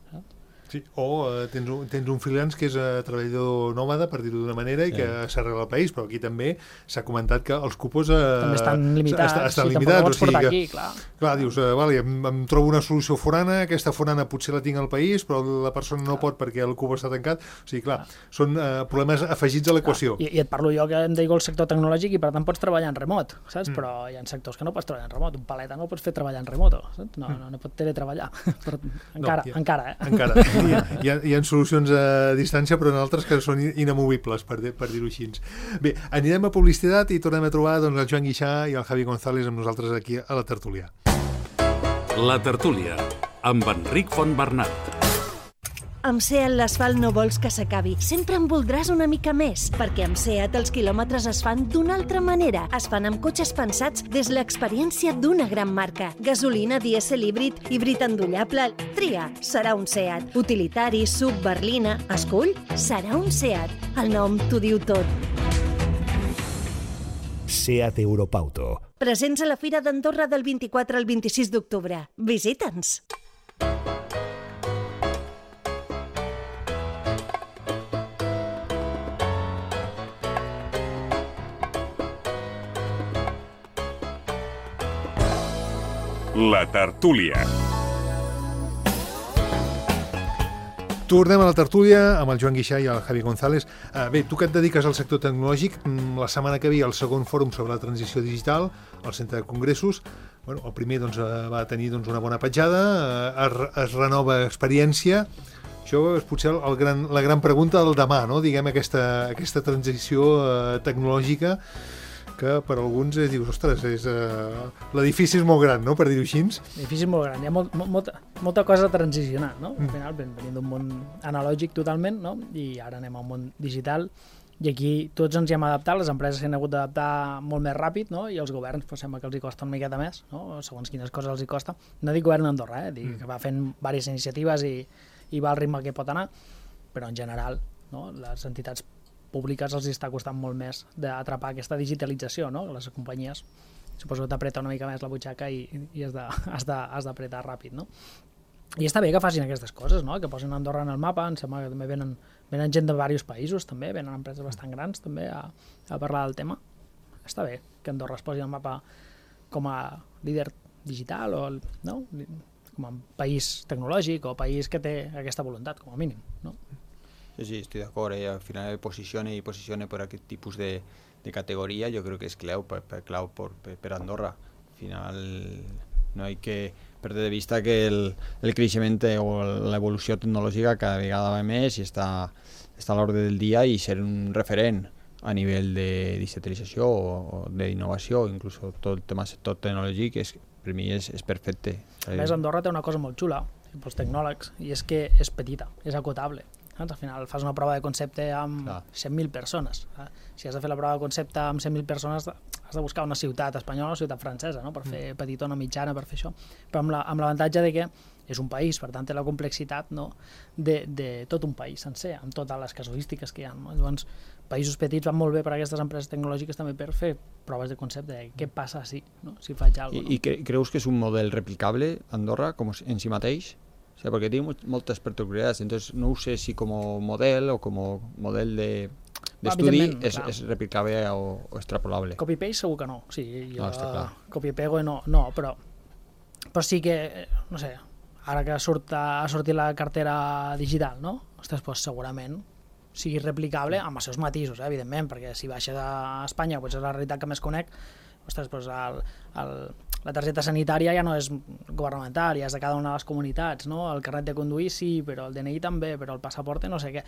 Saps? Sí, o uh, tens, un, tens un freelance que és uh, treballador nòmada, per dir-ho d'una manera, i que yeah. s'arrela al país, però aquí també s'ha comentat que els cupos uh, també estan limitats, est estan sí, limitats, tampoc o sigui que, aquí, clar. clar, dius, uh, vale, em, em trobo una solució forana, aquesta forana potser la tinc al país, però la persona no clar. pot perquè el cupo està tancat, o sigui, clar, clar. són uh, problemes afegits a l'equació. I, I et parlo jo que em dedico al sector tecnològic i per tant pots treballar en remot, saps? Mm. Però hi ha sectors que no pots treballar en remot, un paleta no el pots fer treballar en remoto, saps? No, mm. no, no pot teletreballar, però encara, no, ja, encara, eh? Encara, hi ha, hi ha, hi ha solucions a distància, però en altres que són inamovibles, per, per dir-ho així. Bé, anirem a publicitat i tornem a trobar doncs, el Joan Guixà i el Javi González amb nosaltres aquí a la tertúlia. La tertúlia, amb Enric Fontbernat. Amb SEAT l'asfalt no vols que s'acabi, sempre en voldràs una mica més, perquè amb SEAT els quilòmetres es fan d'una altra manera. Es fan amb cotxes pensats des l'experiència d'una gran marca. Gasolina, dièsel, híbrid, híbrid endollable... Tria, serà un SEAT. Utilitari, sub, berlina... Escull, serà un SEAT. El nom t'ho diu tot. SEAT Europauto. Presents a la Fira d'Andorra del vint-i-quatre al vint-i-sis d'octubre. Visita'ns! La tertúlia. Tornem a la tertúlia amb el Joan Guixà i el Javi González. Uh, bé, tu que et dediques al sector tecnològic, la setmana que ve el segon fòrum sobre la transició digital al Centre de Congressos, bueno, el primer doncs, va tenir doncs, una bona petjada, es, es renova experiència. Això és potser el gran, la gran pregunta del demà, no? Diguem, aquesta, aquesta transició eh, tecnològica que per alguns eh, dius, ostres, és, eh, l'edifici és molt gran, no?, per dir-ho així. L'edifici és molt gran, hi ha molt, molta, molta cosa a transicionar, no? Al final venim d'un món analògic totalment, no? I ara anem a un món digital, i aquí tots ens hi hem adaptat, les empreses s'han hagut d'adaptar molt més ràpid, no? I els governs pues, sembla que els hi costa una miqueta més, no? Segons quines coses els hi costa. No dic govern d'Andorra, eh? Dic que va fent diverses iniciatives i, i va al ritme que pot anar, però en general, no? Les entitats públiques els està costant molt més d'atrapar aquesta digitalització, no? Les companyies suposo que t'apreta una mica més la butxaca i, i has d'apretar ràpid, no? I està bé que facin aquestes coses, no? Que posin Andorra en el mapa, em sembla que també venen, venen gent de diversos països, també, venen empreses bastant grans també a, a parlar del tema. Està bé que Andorra es posi al mapa com a líder digital o, no? Com a país tecnològic o país que té aquesta voluntat, com a mínim, no? Sí, sí, estoy de acuerdo. Y al final posicione y posicione por aquest tipus de, de categoría, yo creo que es clau per, per, clau por, per, per Andorra. Al final no hay que perder de vista que el, el creixement o l'evolució tecnològica cada vegada va més i està, està a l'ordre del dia, i ser un referent a nivell de digitalització o, o d'innovació, inclús tot el tema sector tecnològic, és, per mi és, és perfecte. A més, Andorra té una cosa molt xula pels tecnòlegs, i és que és petita, és acotable. Al final fas una prova de concepte amb Clar. cent mil persones. Si has de fer la prova de concepte amb cent mil persones, has de buscar una ciutat espanyola o una ciutat francesa, no? Per fer petitona, mitjana, per fer això. Però amb l'avantatge de que és un país, per tant té la complexitat, no? de, de tot un país sencer, amb totes les casuístiques que hi ha. No? Llavors, països petits van molt bé per a aquestes empreses tecnològiques també per fer proves de concepte de què passa si, no? si faig alguna cosa. I, no? I creus que és un model replicable, Andorra, com en si mateix? O sea, porque tiene muchas particularidades, entonces no sé si como model o como model de, de estudi es, es replicable o, o extrapolable. Copy-paste segur que no, sí, jo no, està clar. Copy-pego no, no, però, però sí que, no sé, ara que surt, ha sortit la cartera digital, no? Ostres, doncs segurament sigui replicable amb els seus matisos, eh, evidentment, perquè si baixes a Espanya, doncs és la realitat que més conec, ostres, doncs el, el, la targeta sanitària ja no és governamental, ja és de cada una de les comunitats, no? El carnet de conduir sí, però el D N I també, però el passaporte no sé què,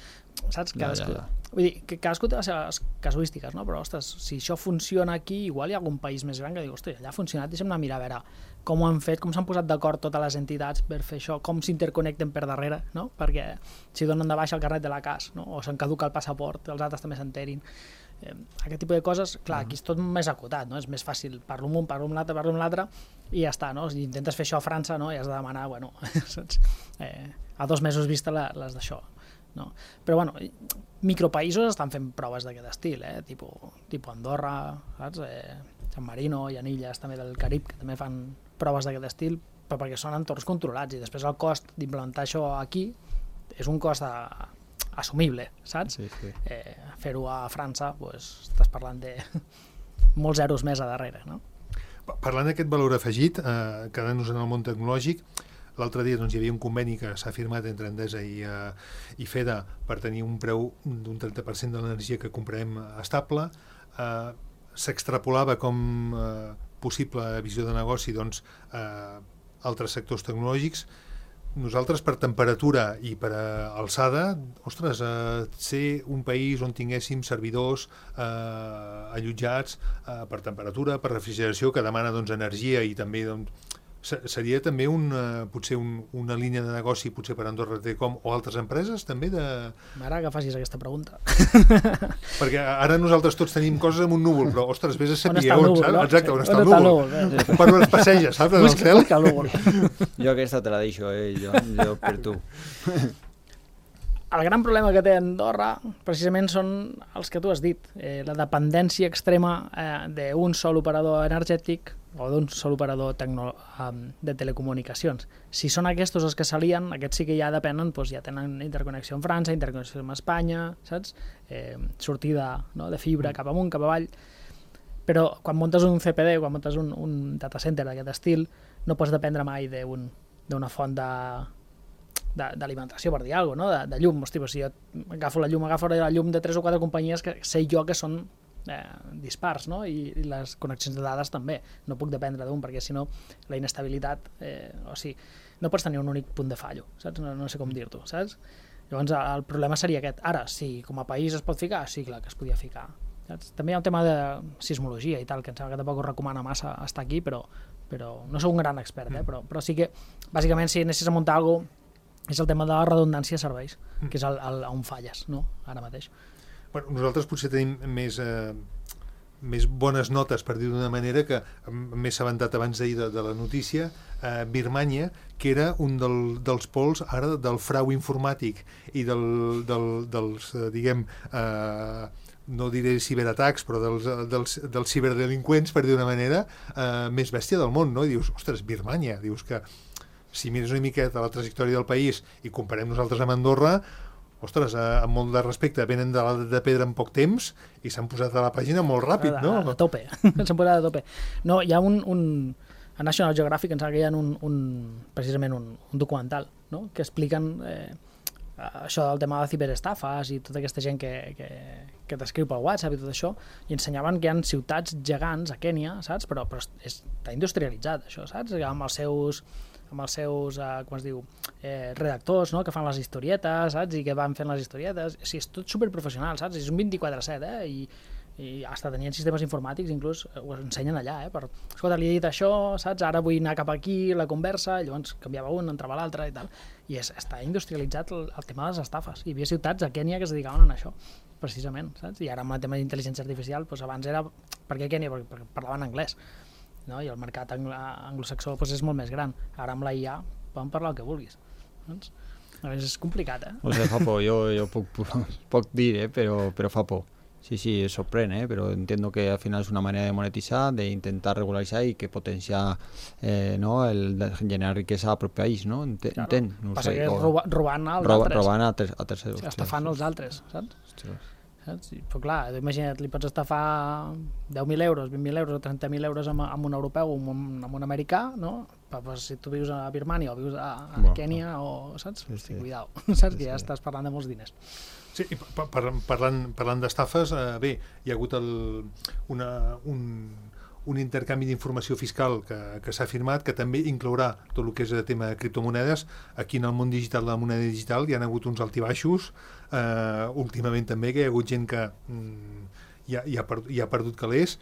saps? Cadascú, ja, ja, ja. Vull dir, que cadascú té les seves casuístiques, no? Però, ostres, si això funciona aquí, igual hi ha algun país més gran que diu, ostres, allà ha funcionat, deixa'm anar a mirar a veure com ho han fet, com s'han posat d'acord totes les entitats per fer això, com s'interconnecten per darrere, no? Perquè si donen de baixa el carnet de la C A S, no? O se'n caduca el passaport, els altres també s'enterin. Eh, aquest tipus de coses, clar, aquí és tot més acotat, no? És més fàcil, parlo amb un, parlo amb l'altre, parlo amb l'altre, i ja està, no? Si intentes fer això a França, no? I has de demanar, bueno, saps? Eh, a dos mesos vista les d'això, no? Però, bueno, micropaïsos estan fent proves d'aquest estil, eh? Tipo, tipo Andorra, saps? Eh, San Marino i Anilles, també del Carib, que també fan proves d'aquest estil, però perquè són entorns controlats, i després el cost d'implementar això aquí és un cost de assumible, saps? Sí, sí. Eh, fer-ho a França, pues, estàs parlant de molts zeros més a darrere, no? Parlant d'aquest valor afegit, eh, quedant-nos en el món tecnològic, l'altre dia doncs, hi havia un conveni que s'ha firmat entre Endesa i, eh, i FEDA per tenir un preu d'un trenta per cent de l'energia que comprem estable. Eh, s'extrapolava com eh, possible visió de negoci doncs, eh, altres sectors tecnològics. Nosaltres, per temperatura i per alçada, ostres, eh, ser un país on tinguéssim servidors eh, allotjats eh, per temperatura, per refrigeració, que demana doncs, energia i també doncs, seria també un, uh, potser un, una línia de negoci potser per Andorra Telecom o altres empreses també de... M'agrada que facis aquesta pregunta. Perquè ara nosaltres tots tenim coses amb un núvol, però ostres, vés a saber on, on, saps? No? Exacte, on, on està el núvol. núvol. Eh? Per on es passeja, saps, en el cel? Busca el núvol. Jo aquesta te la deixo, eh? jo, jo per tu. El gran problema que té Andorra precisament són els que tu has dit, eh, la dependència extrema eh, d'un sol operador energètic o d'un sol operador tecno, um, de telecomunicacions. Si són aquests els que s'alien, aquests sí que ja depenen, doncs ja tenen interconnexió amb França, interconnexió amb Espanya, saps? Eh, sortida, no, de fibra cap amunt, cap avall. Però quan muntes un C P D, quan muntes un, un data center d'aquest estil, no pots dependre mai d'un, d'una font de d'alimentació, per dir alguna cosa, no? de, de llum. Hosti, si jo agafo la llum, agafo la llum de tres o quatre companyies que sé jo que són eh, dispars, no? I, i les connexions de dades també. No puc dependre d'un, perquè si no la inestabilitat, eh, o sigui, no pots tenir un únic punt de fallo, saps? No, no sé com dir-t'ho, saps? Llavors el problema seria aquest. Ara, si com a país es pot ficar, sí, clar que es podia ficar. Saps? També hi ha un tema de sismologia i tal, que em sembla que tampoc us recomana massa estar aquí, però, però no sou un gran expert, eh? però, però sí que, bàsicament, si anessis a muntar alguna cosa, és el tema de la redundància de serveis, que és el, el, on falles, no? Ara mateix. Bueno, nosaltres potser tenim més, eh, més bones notes, per dir-ho d'una manera, que m'he assabentat abans d'ahir de, de la notícia, eh, Birmània, que era un del, dels pols ara del frau informàtic i del, del, dels, eh, diguem, eh, no diré ciberatacs, però dels, dels, dels ciberdelinqüents, per dir d'una manera, eh, més bèstia del món, no? I dius, ostres, Birmània, dius que si mires una miqueta la trajectòria del país i comparem nosaltres amb Andorra, ostres, eh, amb molt de respecte, venen de l'edat de pedra en poc temps i s'han posat a la pàgina molt ràpid, no? A, a tope, s'han posat a tope. No, hi ha un, un a National Geographic, em sembla que hi ha un, un precisament un, un documental, no? Que expliquen eh, això del tema de ciberestafes i tota aquesta gent que, que, que t'escriu pel WhatsApp i tot això, i ensenyaven que hi ha ciutats gegants a Kènia, saps? Però, però és, està industrialitzat, això, saps? Amb els seus amb els seus, eh, com es diu, eh, redactors, no?, que fan les historietes, saps? I que van fent les historietes. O sigui, és tot superprofessional, saps? És un vint-i-quatre set, eh? I, i hasta tenien sistemes informàtics, inclús ho ensenyen allà, eh? Per, escolta, li he dit això, saps? Ara vull anar cap aquí, la conversa, i llavors canviava un, entrava l'altre i tal. I és, està industrialitzat el, el tema de les estafes. Hi havia ciutats a Kènia que es dedicaven a això, precisament, saps? I ara amb el tema d'intel·ligència artificial, doncs abans era... Per què Kènia? Perquè, perquè parlaven anglès. No? I el mercat angl anglosaxó pues, és molt més gran. Ara amb la I A poden parlar el que vulguis. Doncs, a veure, és complicat, eh? O sea, fa por, yo, yo puc, puc dir, eh? pero, pero fa por. Sí, sí, sorprende, ¿eh? Pero entiendo que al final es una manera de monetizar, de intentar regularizar y que potencia eh, ¿no? el de generar riqueza al propio país, ¿no? Ent claro. Entenc, no Passa sé, que és o... roba, robant als roba, altres. Robant a, ter a tercers. Sí, estafant els altres, saps? Ostres. Saps? Però clar, imagina't, li pots estafar deu mil euros, vint mil euros o trenta mil euros amb, amb un europeu o amb un, amb un americà, no? Però, però si tu vius a Birmània o vius a, a bueno, Kènia o, saps? Sí, sí. Cuidao, saps? Sí, que ja sí. Estàs parlant de molts diners. Sí, i par par parlant, parlant d'estafes, eh, bé, hi ha hagut el, una, un, un intercanvi d'informació fiscal que, que s'ha firmat, que també inclourà tot el que és el tema de criptomonedes. Aquí en el món digital, de la moneda digital, hi ha hagut uns altibaixos, eh, últimament també, que hi ha hagut gent que mm, ja, ja, per, ja ha perdut calés.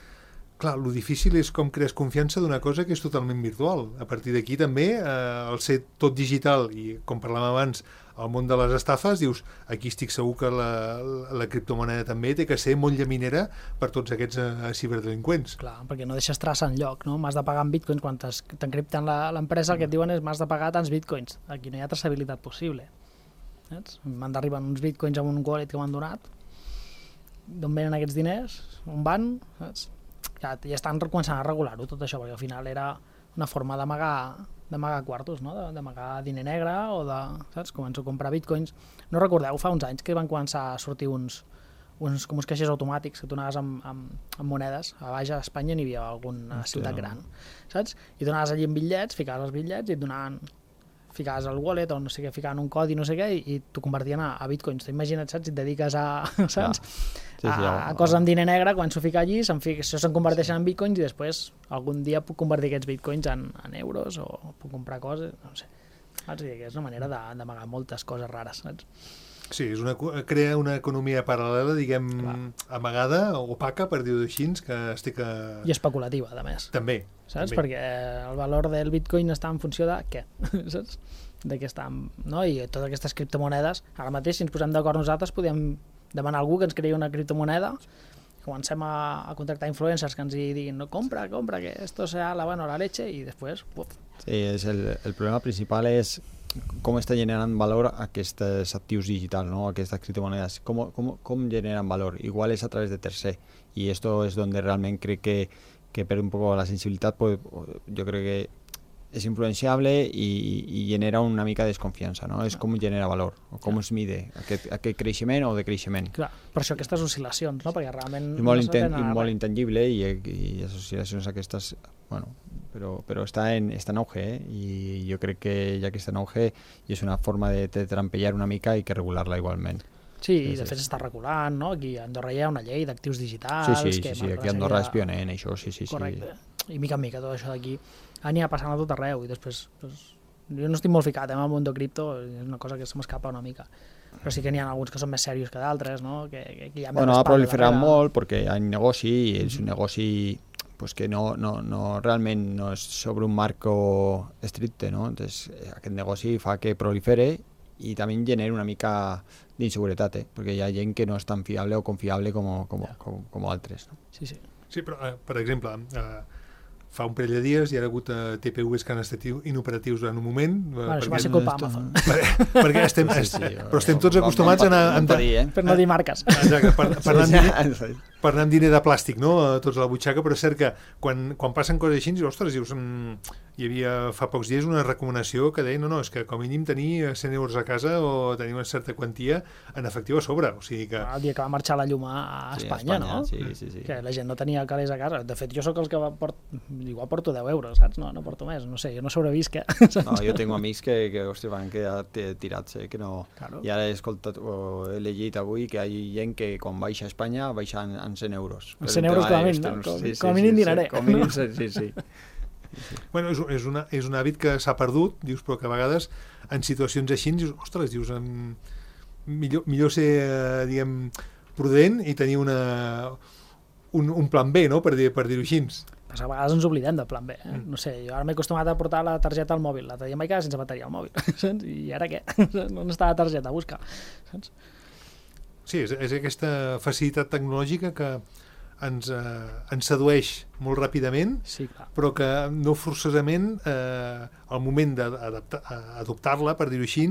Clar, el difícil és com crees confiança d'una cosa que és totalment virtual. A partir d'aquí també, eh, el ser tot digital, i com parlàvem abans, el món de les estafes, dius, aquí estic segur que la, la, la criptomoneda també té que ser molt llaminera per tots aquests uh, ciberdelinqüents. Clar, perquè no deixes traça enlloc, no? M'has de pagar en bitcoins, quan t'encripten l'empresa, el que et diuen és m'has de pagar tants bitcoins. Aquí no hi ha traçabilitat possible. Saps? M'han d'arribar uns bitcoins amb un wallet que m'han donat, d'on venen aquests diners, on van, saps? Ja, ja estan començant a regular-ho tot això, perquè al final era una forma d'amagar d'amagar quartos, no? D'amagar diner negre o de, saps? Començo a comprar bitcoins. No recordeu, fa uns anys que van començar a sortir uns, uns com uns caixers automàtics que tu anaves amb, amb, amb monedes. A baix a Espanya n'hi havia alguna Hòstia. ciutat gran, saps? I tu anaves allí amb bitllets, ficaves els bitllets i et donaven, ficaves el wallet o no sé què, ficaven un codi, no sé què, i, i t'ho convertien a, a bitcoins. T'imagina't, saps? Si et dediques a, saps? Sí, sí, a, a coses amb diner negre, quan s'ho fica allí, això se'n converteixen en bitcoins i després algun dia puc convertir aquests bitcoins en, en euros o puc comprar coses, no sé. Saps? I és una manera d'amagar moltes coses rares, saps? Sí, és una, crea una economia paral·lela, diguem, Clar. amagada, opaca, per dir-ho així, que estic a... I especulativa, a més. També. Saps? També. Perquè el valor del bitcoin està en funció de què? Saps? De què està, no? I totes aquestes criptomonedes, ara mateix, si ens posem d'acord nosaltres, podem demanar a algú que ens creï una criptomoneda, comencem a, a contractar influencers que ens hi diguin, no, compra, compra, que esto sea la bueno, la leche, i després, puf. Sí, és el, el problema principal és com està generant valor aquests actius digitals, ¿no? Aquestes criptomonedes, com, com, com generan valor. Igual és a través de tercer, y esto es donde realment crec que, que perde un poco la sensibilitat, pues, yo creo que és influenciable i, i genera una mica de desconfiança, no? És com genera valor, o com es mide aquest, aquest creixement o decreixement. Clar, per això aquestes oscil·lacions, no? Perquè realment... És molt, no inten i molt intangible i, i les oscil·lacions aquestes, bueno, però, però està, en, està en auge, eh? I jo crec que ja que està en auge i és una forma de, de trampellar una mica i que regular-la igualment. Sí, Sí, i de sí. fet s'està regulant, no? Aquí a Andorra hi ha una llei d'actius digitals... Sí, sí, que sí, sí, marca aquí a una Andorra sèrie és pioner en això, sí, sí, sí. Correcte. I mica en mica tot això d'aquí anirà passant a tot arreu i després... Pues, jo no estic molt ficat eh, en el món de cripto, és una cosa que se m'escapa una mica. Però sí que n'hi ha alguns que són més serios que d'altres, no? Que, que, que hi ha més Bueno, ha respaldo proliferat darrere. molt perquè hi ha un negoci i és un negoci pues, que no, no, no, realment no és sobre un marco estricte, no? Entonces, eh, aquest negoci fa que prolifere i també genera una mica d'inseguretat, eh? Perquè hi ha gent que no és tan fiable o confiable com, com, com, com altres. No? Sí, sí. Sí, però, eh, per exemple, eh, fa un parell de dies hi ha hagut eh, T P Us que han estat inoperatius en un moment. Eh, Bueno, això perquè, va ser culpa Amazon. per, perquè estem, Sí, est, sí, però estem tots vam- acostumats a anar... vam amb- patir, eh? Per no dir marques. Exacte, per, per, anar amb diner, Sí, per anar amb diner de plàstic, no? A tots a la butxaca, però és cert que quan, quan passen coses així, dius, ostres, dius, mm, hi havia fa pocs dies una recomanació que deia, no, no, és que com a mínim tenir cent euros a casa o tenir una certa quantia en efectiu a sobre, o sigui que... El dia que va marxar la llum a, a Sí, Espanya, a Espanya, no? sí, sí, sí. Que la gent no tenia calés a casa. De fet, jo sóc els que va port... igual porto deu euros, saps? No, no porto més, no sé, jo no sobrevisc, eh? No, jo tinc amics que, que hòstia, van quedar t- tirats, eh, que no... Claro. I ara he escoltat, o he llegit avui que hi ha gent que quan baixa a Espanya baixa en, en cent euros. En Per cent un euros tema com a de mínim, no? qüestions- Com- com a mínim dinaré. Com a mínim, sí, sí, sí. Bueno, és, és, una, és un hàbit que s'ha perdut, dius, però que a vegades en situacions així dius, ostres, dius, em, millor, millor ser, eh, diguem, prudent i tenir una, un, un plan B, no?, per, dir, per dir-ho així. Però a vegades ens oblidem del plan B. Eh? No sé, jo ara m'he acostumat a portar la targeta al mòbil. L'altre dia em vaig quedar sense bateria al mòbil. Saps? I ara què? No està la targeta a buscar. Saps? Sí, és, és aquesta facilitat tecnològica que ens, eh, ens sedueix molt ràpidament, Sí, clar. però que no forçosament eh, al moment d'adoptar-la, per dir-ho així,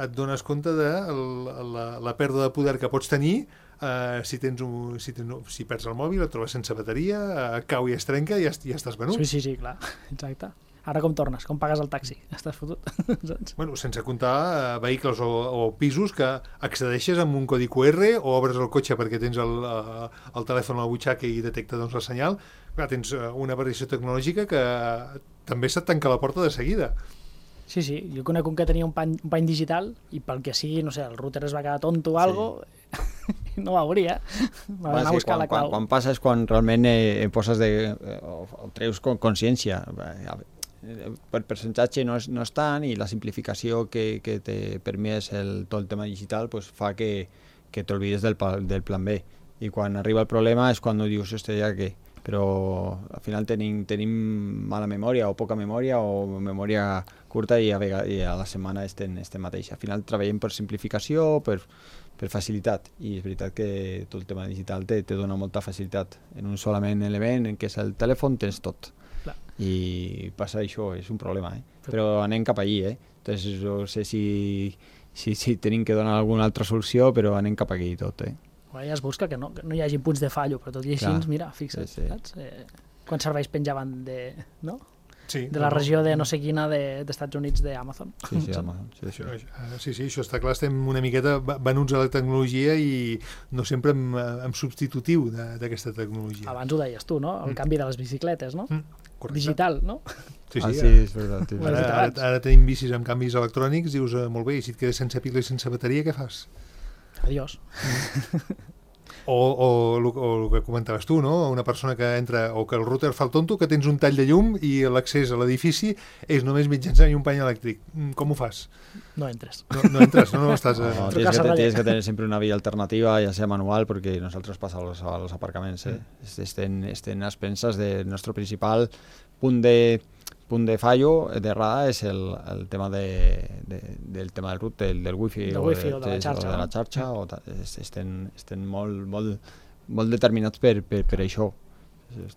et dones compte de la, la pèrdua de poder que pots tenir eh, si, tens un, si, tens, si perds el mòbil, et trobes sense bateria, eh, cau i es trenca i ja, ja estàs venut. Sí, sí, sí, clar. Exacte. Ara com tornes? Com pagues el taxi? Estàs fotut? Saps? Bueno, sense comptar eh, vehicles o, o pisos que accedeixes amb un codi Q R o obres el cotxe perquè tens el, eh, el telèfon a la butxaca i detecta doncs, el senyal. Clar, tens eh, una variació tecnològica que també se't tanca la porta de seguida. Sí, sí. Jo conec un que tenia un pany, un pany digital i pel que sigui, no sé, el router es va quedar tonto o sí. algo, no ho hauria. Va anar a buscar quan, la clau. Quan, quan passa és quan realment eh, poses de, eh, o, o treus con, consciència. Eh, per percentatge no és, no és tant i la simplificació que, que te permet el, tot el tema digital pues, fa que, que t'olvides del, del plan B. I quan arriba el problema és quan dius, hòstia, ja què? Però al final tenim, tenim mala memòria o poca memòria o memòria curta i a, vegades, i a la setmana estem, estem mateix. Al final treballem per simplificació, per, per facilitat, i és veritat que tot el tema digital te, te dona molta facilitat. En un solament element, en què és el telèfon, tens tot. Clar. I passa això, és un problema, eh? Però anem cap allí, eh? Entonces, no sé si, si, si tenim que donar alguna altra solució, però anem cap aquí tot, eh? Bueno, ja es busca que no, que no hi hagi punts de fallo, però tot i així, Clar. mira, fixa't, Sí, sí. saps? Eh, quants serveis penjaven de, no? Sí, de la regió de no sé quina de, d'Estats Units d'Amazon. Sí, sí, Amazon, sí, sí. Això, eh, sí, sí, això està clar, estem una miqueta va- venuts a la tecnologia i no sempre en, en substitutiu de- d'aquesta tecnologia. Abans ho deies tu, no? El Mm. canvi de les bicicletes, no? Mm, correcte. Digital, no? Sí, sí, Ah, sí, sí, és veritat. Sí, Ho has ara, dit ara, abans. ara tenim bicis amb canvis electrònics, dius, eh, molt bé, i si et quedes sense pila i sense bateria, què fas? Adiós. O, o, el, o el que comentaves tu, no? Una persona que entra, o que el router fa el tonto, que tens un tall de llum i l'accés a l'edifici és només mitjançant un pany elèctric. Mm, Com ho fas? No entres. No, no entres, no, no estàs... No, Eh... tienes, Trucas a que, Raya. tienes que tener siempre una vía alternativa, ya sea manual, porque nosotros pasa a los, a los aparcamientos. ¿eh? Estén, estén a expensas de nuestro principal punt de, punt de fallo d'errada és el, el tema de, de, del tema del root, del, del wifi, Del o, wifi de, o de la xarxa, o de la no? xarxa o ta, es- estem, estem molt, molt, molt determinats per, per, per això.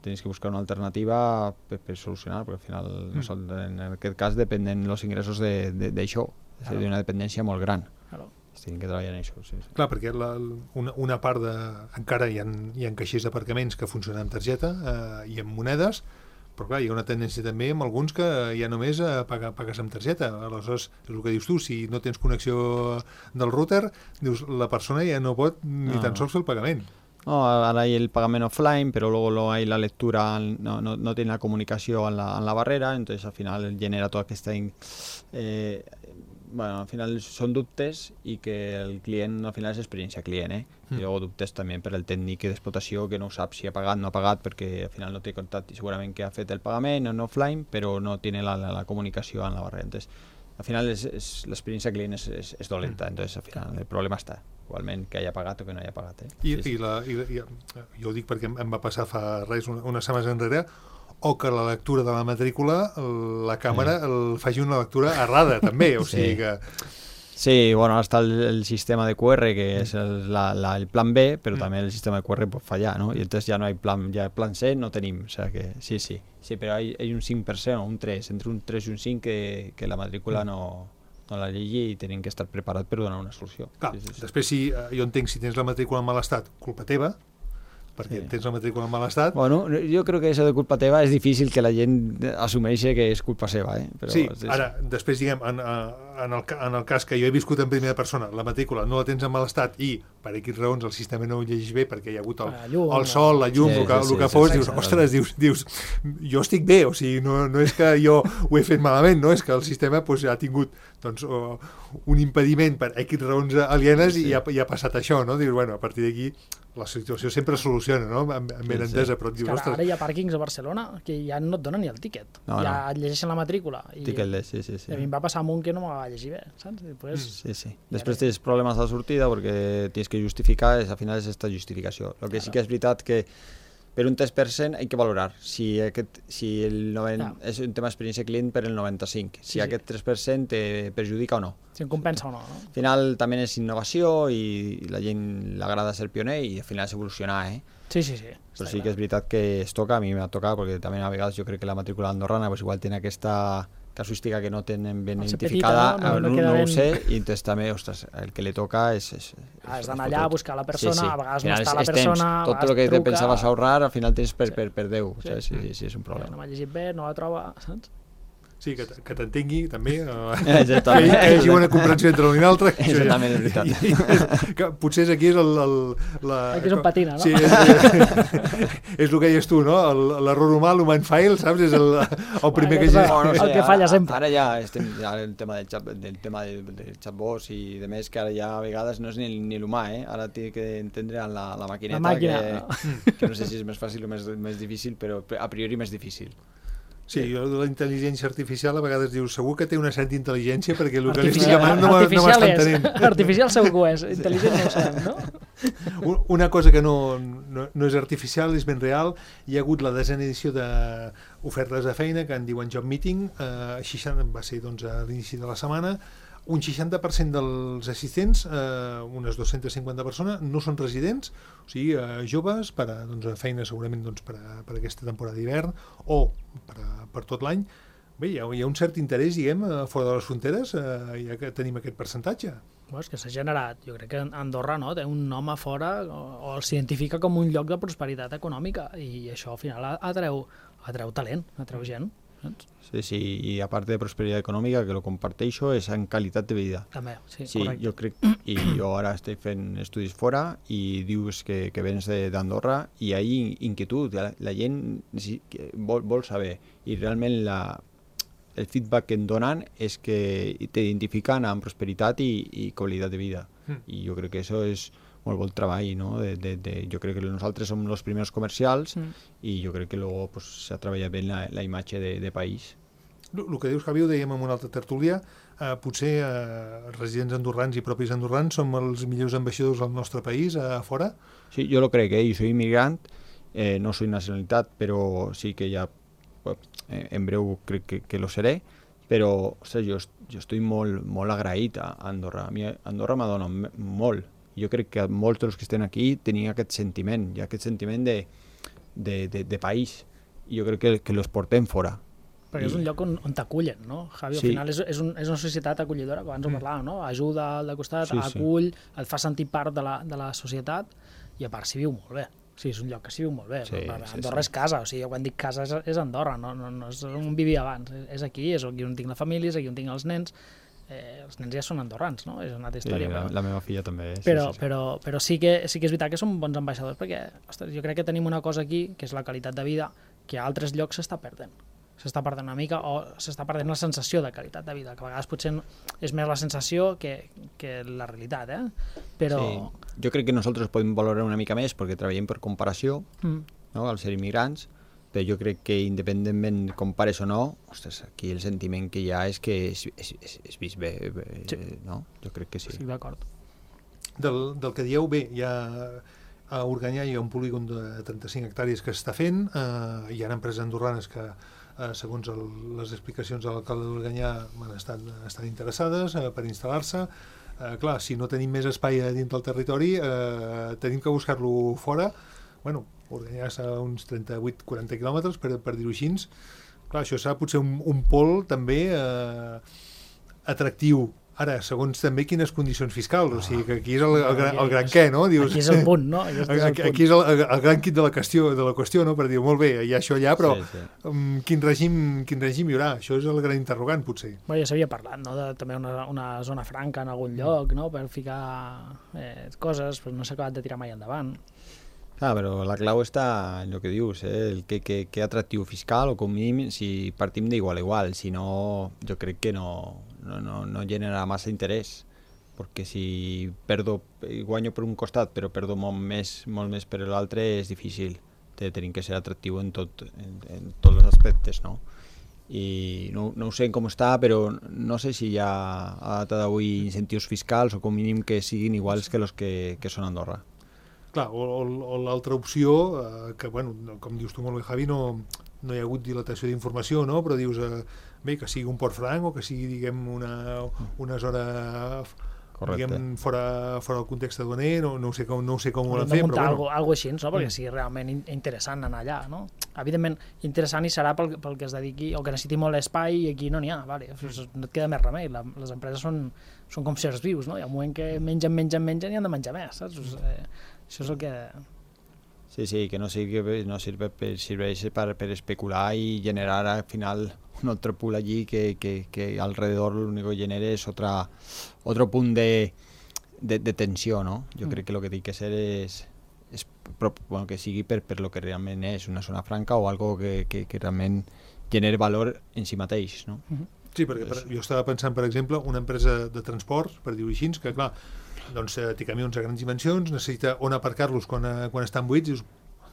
Tienes que buscar una alternativa per, per solucionar, perquè al final Mm. nosotros, en aquest cas dependen los ingressos d'això, de, de, d'això. és a dir, d'una dependència molt gran. Claro. Tenim que treballar en això, sí, sí. Clar, perquè la, una, una part de... Encara hi ha, hi ha caixers d'aparcaments que funcionen amb targeta eh, i amb monedes, però clar, hi ha una tendència també amb alguns que ja només eh, paga, pagues amb targeta. Aleshores, és el que dius tu, si no tens connexió del router, dius, la persona ja no pot ni No. tan sols fer el pagament. No, ahora hay el pagamento offline, pero luego, luego hay la lectura, no, no, no tiene la comunicación en la, en la barrera, entonces al final genera toda esta in- eh, bueno, al final són dubtes i que el client al final és experiència client, eh? Mm. I llavors dubtes també per el tècnic d'explotació que no sap si ha pagat o no ha pagat perquè al final no té contacte i segurament que ha fet el pagament en offline però no té la, la, la comunicació en la barrera. Entonces, al final és, és, l'experiència client és, és, és dolenta, entonces al final el problema està igualment que haya pagat o que no haya pagat. Eh? I, sí, i, la, i, i jo ho dic perquè em va passar fa res, una, unes setmanes enrere, o que la lectura de la matrícula, la càmera sí. el faci una lectura errada, també, o sigui sí. que... Sí, bueno, està el, el sistema de Q R, que és el, la, la, el plan B, però mm. també el sistema de Q R pot fallar, ¿no? I entonces ja no hay plan, ja plan C no tenim, o sea que sí, sí, sí, però hay, hay un cinc per cent o un tres, entre un tres i un cinc que, que la matrícula mm. no, no la llegui i tenen que estar preparat per donar una solució. Clar, sí, sí, sí. Després si eh, jo entenc si tens la matrícula en mal estat, culpa teva, perquè sí. tens la matrícula en mal estat. Bueno, jo crec que això de culpa teva és difícil que la gent assumeixi que és culpa seva, eh? Però, sí, ara, després, diguem, en, en, el, en el cas que jo he viscut en primera persona, la matrícula no la tens en mal estat i per aquí raons el sistema no ho llegeix bé perquè hi ha hagut el, llum, el sol, la llum, sí, el que, sí, el que sí, fos, sí, dius, sí, ostres, dius, dius, jo estic bé, o sigui, no, no és que jo ho he fet malament, no? És que el sistema pues, ha tingut doncs, uh, un impediment per X raons alienes sí. i ha, i ha passat això, no? Dius, bueno, a partir d'aquí la situació sempre es soluciona, no? Amb, amb ben entesa, sí. però et dius, ostres... Ara hi ha pàrquings a Barcelona que ja no et donen ni el tíquet, no, ja no. et llegeixen la matrícula. I, Tiquet, sí, sí, sí. I a mi em va passar amb un que no m'ho va llegir bé, saps? Després, sí, sí. Després tens problemes a la sortida perquè tens que justificar, al final és aquesta justificació. El que sí que és veritat que per un tres per cent hay que valorar si, aquest, si el noventa, no. és un tema d'experiència client per el noranta-cinc, si sí, aquest tres per cent te perjudica o no. Si em compensa o no, no. Al final també és innovació i la gent l'agrada ser pioner i al final és evolucionar, eh? Sí, sí, sí. Però sí clar. Que és veritat que es toca, a mi m'ha tocat, perquè també a vegades jo crec que la matrícula andorrana pues, igual té aquesta casuística que no tenen ben identificada, petita, no, no, no, no, no ho sé, i entonces també, ostres, el que li toca és... és, és Has d'anar allà a buscar la persona, sí, sí. a vegades no està la temps, persona, tot el que te pensaves ahorrar, al final tens per, sí. per, per Déu, sí. Sí, sí, sí, és un Ja, problema. no m'ha llegit bé, no la troba, saps? Sí, que, que t'entengui, també. Exactament. Que hi hagi una comprensió entre l'un i l'altre. Exactament, és veritat. I, i, que potser aquí és el... el la, aquí és on patina, no? Sí, és, és, és el que deies tu, no? L'error humà, l'human file, saps? És el, el primer que... El, no sé, el que falla sempre. Ara ja estem ja el tema del, chat, del tema del, del chatbots i de més, que ara ja a vegades no és ni, ni l'humà, eh? Ara té que entendre la, la maquineta, la màquina, que, no? que no sé si és més fàcil o més, més difícil, però a priori més difícil. Sí, jo de la intel·ligència artificial a vegades dius, segur que té una certa intel·ligència perquè el que li estic demanant no m'està entenent. Artificial segur que ho és, intel·ligent no ho sabem, no? Una cosa que no, no, no és artificial, és ben real, hi ha hagut la desena edició d'ofertes de feina que en diuen Job Meeting, eh, seixanta, va ser doncs, a l'inici de la setmana, un seixanta per cent dels assistents, eh, unes dues-centes cinquanta persones, no són residents, o sigui, eh, joves, per a doncs, feina segurament doncs, per, a, per a aquesta temporada d'hivern o per, a, per tot l'any. Bé, hi ha, hi ha un cert interès, diguem, fora de les fronteres, eh, ja que tenim aquest percentatge. Bueno, és que s'ha generat, jo crec que Andorra no, té un nom a fora o, o s'identifica com un lloc de prosperitat econòmica i això al final atreu, atreu talent, atreu gent. Sí, sí, i a part de prosperitat econòmica, que lo comparteixo, és en qualitat de vida. També, sí, sí correcte. Jo crec, i jo ara estic fent estudis fora i dius que, que vens d'Andorra i hi ha inquietud, la, la gent vol, vol saber i realment la, el feedback que em donen és que t'identifiquen amb prosperitat i, i qualitat de vida. Mm. I jo crec que això és molt bon treball, no? De, de, de, jo crec que nosaltres som els primers comercials mm. i jo crec que luego pues, s'ha treballat bé la, la imatge de, de país. El, el que dius, Javi, ho dèiem en una altra tertúlia, eh, potser eh, residents andorrans i propis andorrans som els millors ambaixadors del nostre país a eh, fora? Sí, jo lo crec, eh? Jo soy immigrant, eh, no soy nacionalitat, però sí que ja eh, en breu crec que, que lo seré, però o sigui, jo, jo estic molt, molt agraït a Andorra. A mi Andorra m'adona molt. Jo crec que molts dels que estem aquí tenien aquest sentiment, i aquest sentiment de, de, de, de país, i jo crec que, que los portem fora. Perquè I... és un lloc on, on t'acullen, no, Javi? Sí. Al final és, és, un, és una societat acollidora, que abans ho parlàvem, no? Ajuda al de costat, sí, acull, sí. et fa sentir part de la, de la societat, i a part s'hi viu molt bé. Sí, és un lloc que s'hi viu molt bé. Sí, Andorra sí, sí. és casa, o sigui, quan dic casa és, és Andorra, no, no, no és on vivia abans, és aquí, és aquí on tinc la família, és aquí on tinc els nens. Eh, els nens ja són andorrans, no? És una altra història. Sí, la, però... la meva filla també. Sí, però, sí, sí. però, però sí, que, sí que és veritat que som bons ambaixadors perquè, ostres, jo crec que tenim una cosa aquí, que és la qualitat de vida, que a altres llocs s'està perdent. s'està perdent una mica, o s'està perdent la sensació de qualitat de vida, que a vegades potser és més la sensació que, que la realitat, eh? Però... Sí. Jo crec que nosaltres podem valorar una mica més perquè treballem per comparació, mm. no? Al ser immigrants, però jo crec que independentment compares o no, ostres, aquí el sentiment que hi ha és que és, és, és, és vist bé, bé sí. no? Jo crec que sí. Estic d'acord. Del, del que dieu, bé, hi ha, a Organyà hi ha un polígon de trenta-cinc hectàrees que s'està fent, eh, hi ha empreses andorranes que, eh, segons el, les explicacions de l'alcalde d'Organyà, bueno, estan, estan interessades eh, per instal·lar-se. Eh, clar, si no tenim més espai a dins del territori, eh, tenim que buscar-lo fora. Bueno, Organyà està a uns trenta-vuit a quaranta quilòmetres, per, per dir-ho així. Clar, això serà potser un, un pol també eh, atractiu. Ara, segons també quines condicions fiscals, o sigui que aquí és el, el, el, el gran què, no? Dius, aquí és el punt, no? Aquí és el, aquí, aquí és el, el gran quid de la qüestió, de la qüestió, no? Per dir, molt bé, hi ha això allà, però sí, sí. Um, quin, règim, quin règim hi haurà? Això és el gran interrogant, potser. Bé, ja s'havia parlat, no?, de també una, una zona franca en algun lloc, no?, per ficar eh, coses, però no s'ha acabat de tirar mai endavant. Ah, però la clau està en el que dius, eh? El que, que, que atractiu fiscal, o com mínim, si partim d'igual a igual, si no, jo crec que no, no, no, no genera massa interès, perquè si perdo, guanyo per un costat, però perdo molt més, molt més per l'altre, és difícil. Tenim que ser atractiu en, tot, en, en tots els aspectes, no? I no, no ho sé com està, però no sé si hi ha a data d'avui incentius fiscals o com mínim que siguin iguals que els que, que són a Andorra. Clar, o, o, o l'altra opció, eh, que, bueno, com dius tu molt bé, Javi, no, no hi ha hagut dilatació d'informació, no? Però dius, eh, bé, que sigui un port franc o que sigui, diguem, una, una zona diguem, fora, fora del context aduaner, no, no ho sé com, no ho sé com ho volen fer, però bueno. Algo, algo així, no? Perquè sigui realment interessant anar allà, no? Evidentment, interessant hi serà pel, pel que es dediqui, o que necessiti molt espai i aquí no n'hi ha, vale? No et queda més remei, la, les empreses són, són com sers vius, no? Hi ha un moment que mengen, mengen, mengen i han de menjar més, saps? Eh, això és el que... Sí, sí, que no sirve, no sirve per, serveix per, per especular i generar al final un altre pool allí que, que, que alrededor l'únic que genera és otra, otro punt de, de, de tensió, no? Jo mm. crec que el que té que ser és, és bueno, que sigui per, per lo que realment és una zona franca o algo que, que, que realment genera valor en si mateix, no? Mm-hmm. Sí, perquè per, jo estava pensant, per exemple, una empresa de transport, per dir-ho així, que clar, doncs eh, té camions a grans dimensions, necessita on aparcar-los quan, eh, quan estan buits, dius,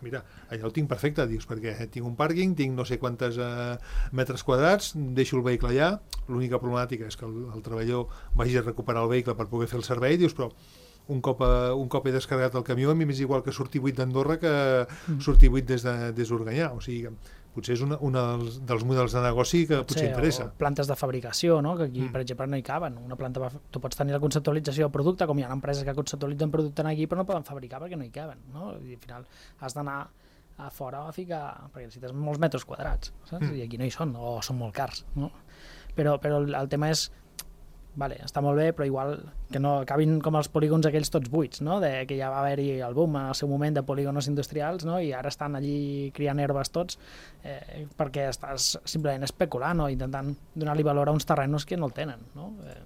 mira, allà ho tinc perfecte, dius, perquè tinc un pàrquing, tinc no sé quantes eh, metres quadrats, deixo el vehicle allà, l'única problemàtica és que el, el treballador vagi a recuperar el vehicle per poder fer el servei, dius, però un cop, eh, un cop he descarregat el camió, a mi m'és igual que surti buit d'Andorra que mm. surti buit des d'Organyà, o sigui, potser és un dels, dels models de negoci que potser sí, interessa. O plantes de fabricació, no? Que aquí, mm. per exemple, no hi caben. Una planta, tu pots tenir la conceptualització del producte, com hi ha empreses que conceptualitzen producte aquí, però no poden fabricar perquè no hi caben, no? I al final has d'anar a fora a ficar, perquè necessites molts metres quadrats, saps? Mm. I aquí no hi són, o són molt cars, no? Però, però el, el tema és, vale, està molt bé, però igual que no acabin com els polígons aquells tots buits, no? De, que ja va haver-hi el boom en el seu moment de polígonos industrials, no? I ara estan allí criant herbes tots, eh, perquè estàs simplement especulant o intentant donar-li valor a uns terrenos que no el tenen, no? Eh,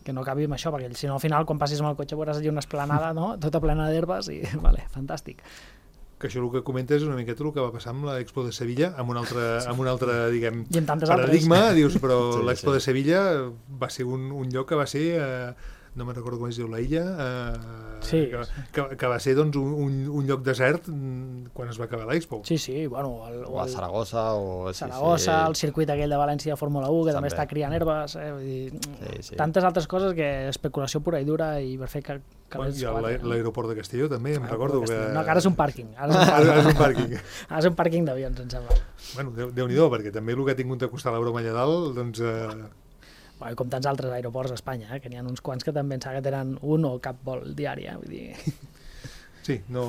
que no acabi amb això, perquè si no al final quan passis amb el cotxe veuràs allí una esplanada, no? Tota plena d'herbes i, vale, fantàstic. Que això el que comentes és una miqueta el que va passar amb l'Expo de Sevilla, amb un altre, amb un altre diguem, paradigma, altres. Dius, però sí, l'Expo sí. de Sevilla va ser un, un lloc que va ser, eh, no me'n recordo com es diu, la illa, eh, sí, que, que, que va ser doncs, un, un, un lloc desert quan es va acabar l'Expo. Sí, sí, bueno... El, o a Saragossa, o... Saragossa, sí, sí. El circuit aquell de València de Fórmula u, que també, també està criant herbes, eh, vull dir, sí, sí. Tantes altres coses que especulació pura i dura i per fer que... que bueno, i l'aeroport de Castelló també, em ah, recordo que... No, que ara és un pàrquing. Ara és un pàrquing, ara és un pàrquing. Ara és un pàrquing d'avions, em sembla. Bueno, Déu-n'hi-do, perquè també el que ha tingut de costar la broma allà dalt, doncs... Eh... Bueno, com tants altres aeroports a Espanya, eh? Que n'hi ha uns quants que també pensava que tenen un o cap vol diari, eh? Vull dir... Sí, no,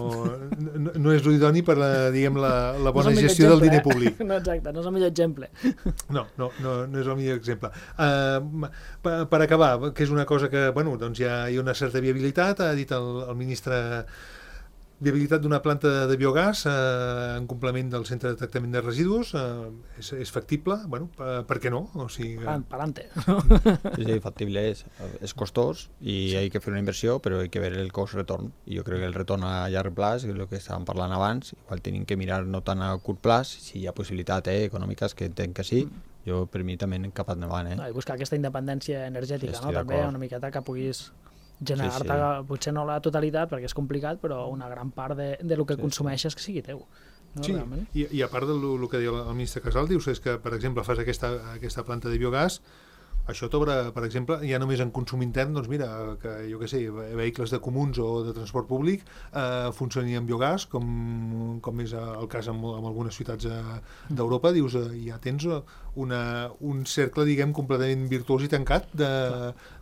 no, no és l'idoni per la, diguem, la, la bona no gestió exemple, del diner públic. Eh? No, exacte, no és el millor exemple. No, no, no, no és el millor exemple. Uh, per, per acabar, que és una cosa que, bueno, doncs hi ha, hi ha una certa viabilitat, ha dit el, el ministre viabilitat d'una planta de biogàs eh, en complement del centre de tractament de residus eh, és, és factible? Bueno, per, per què no? O sigui, Pa- Pa'lante. Sí, sí, factible és. És costós i hay que fer una inversió, però hay que ver el cost-retorn. I jo crec que el retorn a llarg plaç, que és el que estàvem parlant abans, igual tenim que mirar no tant a curt plaç, si hi ha possibilitat eh, econòmiques, que entenc que sí, jo per mi també cap endavant. Eh? No, i buscar aquesta independència energètica, Sí, no? estic També d'acord. una miqueta que puguis generar-te, Sí, sí. potser no la totalitat, perquè és complicat, però una gran part de, de lo que Sí, consumeixes que sigui teu. No, sí, realment. i, i a part del el que deia el ministre Casal, dius és que, per exemple, fas aquesta, aquesta planta de biogàs, això t'obre, per exemple, ja només en consum intern, doncs mira, que jo què sé, vehicles de comuns o de transport públic eh, funcionin amb biogàs, com, com és el cas en, en algunes ciutats eh, d'Europa, dius, eh, ja tens una, un cercle, diguem, completament virtuós i tancat de,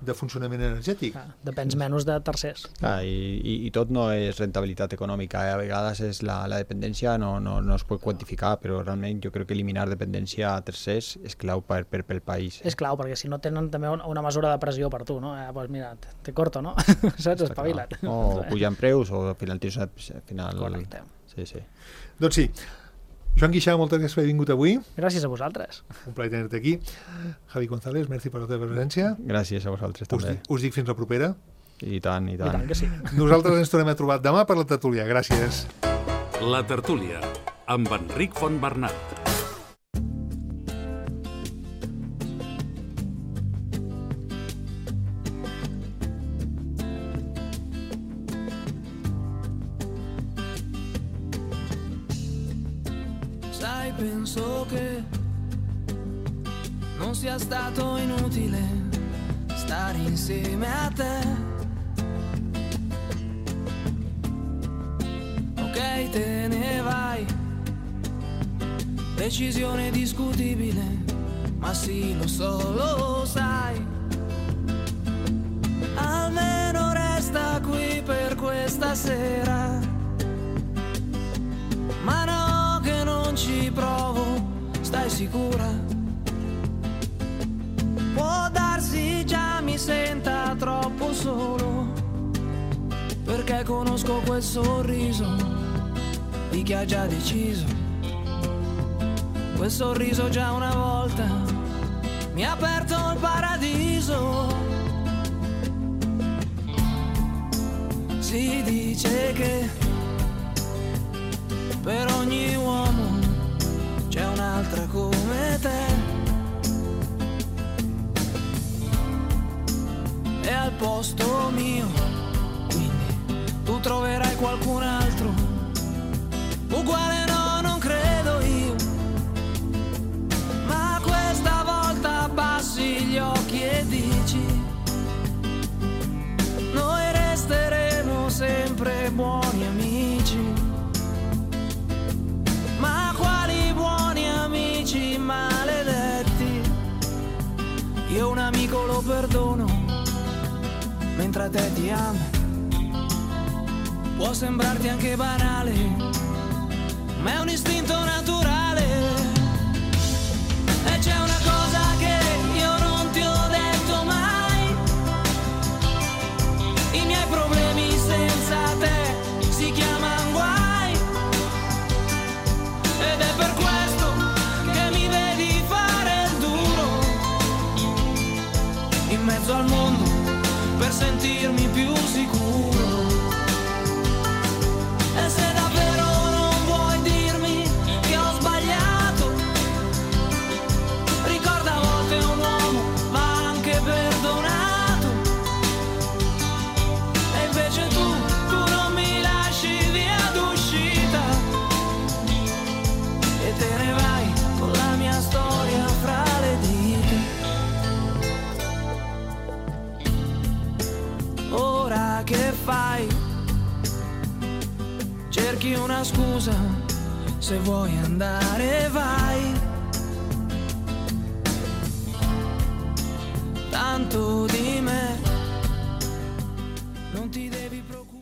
de funcionament energètic. Clar, depens menys de tercers. Clar, i, i, i tot no és rentabilitat econòmica, eh? A vegades és la, la dependència no, no, no es pot quantificar, però realment jo crec que eliminar dependència a tercers és clau per, per, pel país. És clau, perquè si no tenen també una, una mesura de pressió per tu, no? Eh, pues mira, te, te corto, no? Saps? Espavila't. O pujan preus o al final tens una... Al final... Correcte. Sí, sí. Doncs sí. Joan Guixà, moltes gràcies per haver vingut avui. Gràcies a vosaltres. Un plaer tenir-te aquí. Javi González, merci per la teva presència. Gràcies a vosaltres Us, també. dic- us dic fins la propera. I tant, i I tant. tant que sí. Nosaltres ens tornem a trobar demà per la tertúlia. Gràcies. La tertúlia, amb Enric Fontbernat. Sai, penso che non sia stato inutile stare insieme a te. Ok, te ne vai, decisione discutibile, ma sì, lo so, lo sai. Almeno resta qui per questa sera, ma no che non ci provo, stai sicura? Può darsi già mi senta troppo solo, perché conosco quel sorriso di chi ha già deciso. Quel sorriso già una volta mi ha aperto il paradiso. Si dice che per ogni uomo c'è un'altra come te, e al posto mio quindi tu troverai qualcun altro uguale, no, non credo io, ma questa volta abbassi gli occhi e dici: noi resteremo sempre buoni amici. Ma quali buoni amici maledetti, io un amico lo perdono, mentre a te ti amo. Può sembrarti anche banale, ma è un istinto naturale. E c'è una cosa che io non ti ho detto mai: i miei problemi senza te si chiamano guai, ed è per questo che mi vedi fare il duro in mezzo al mondo per sentirmi più sicuro. E se davvero non vuoi dirmi che ho sbagliato, ricorda, a volte un uomo va anche perdonato. E invece tu, tu non mi lasci via d'uscita e te ne vai con la mia storia fra le dita. Ora che fai? Cerchi una scusa, se vuoi andare vai. Tanto di me non ti devi preoccupare.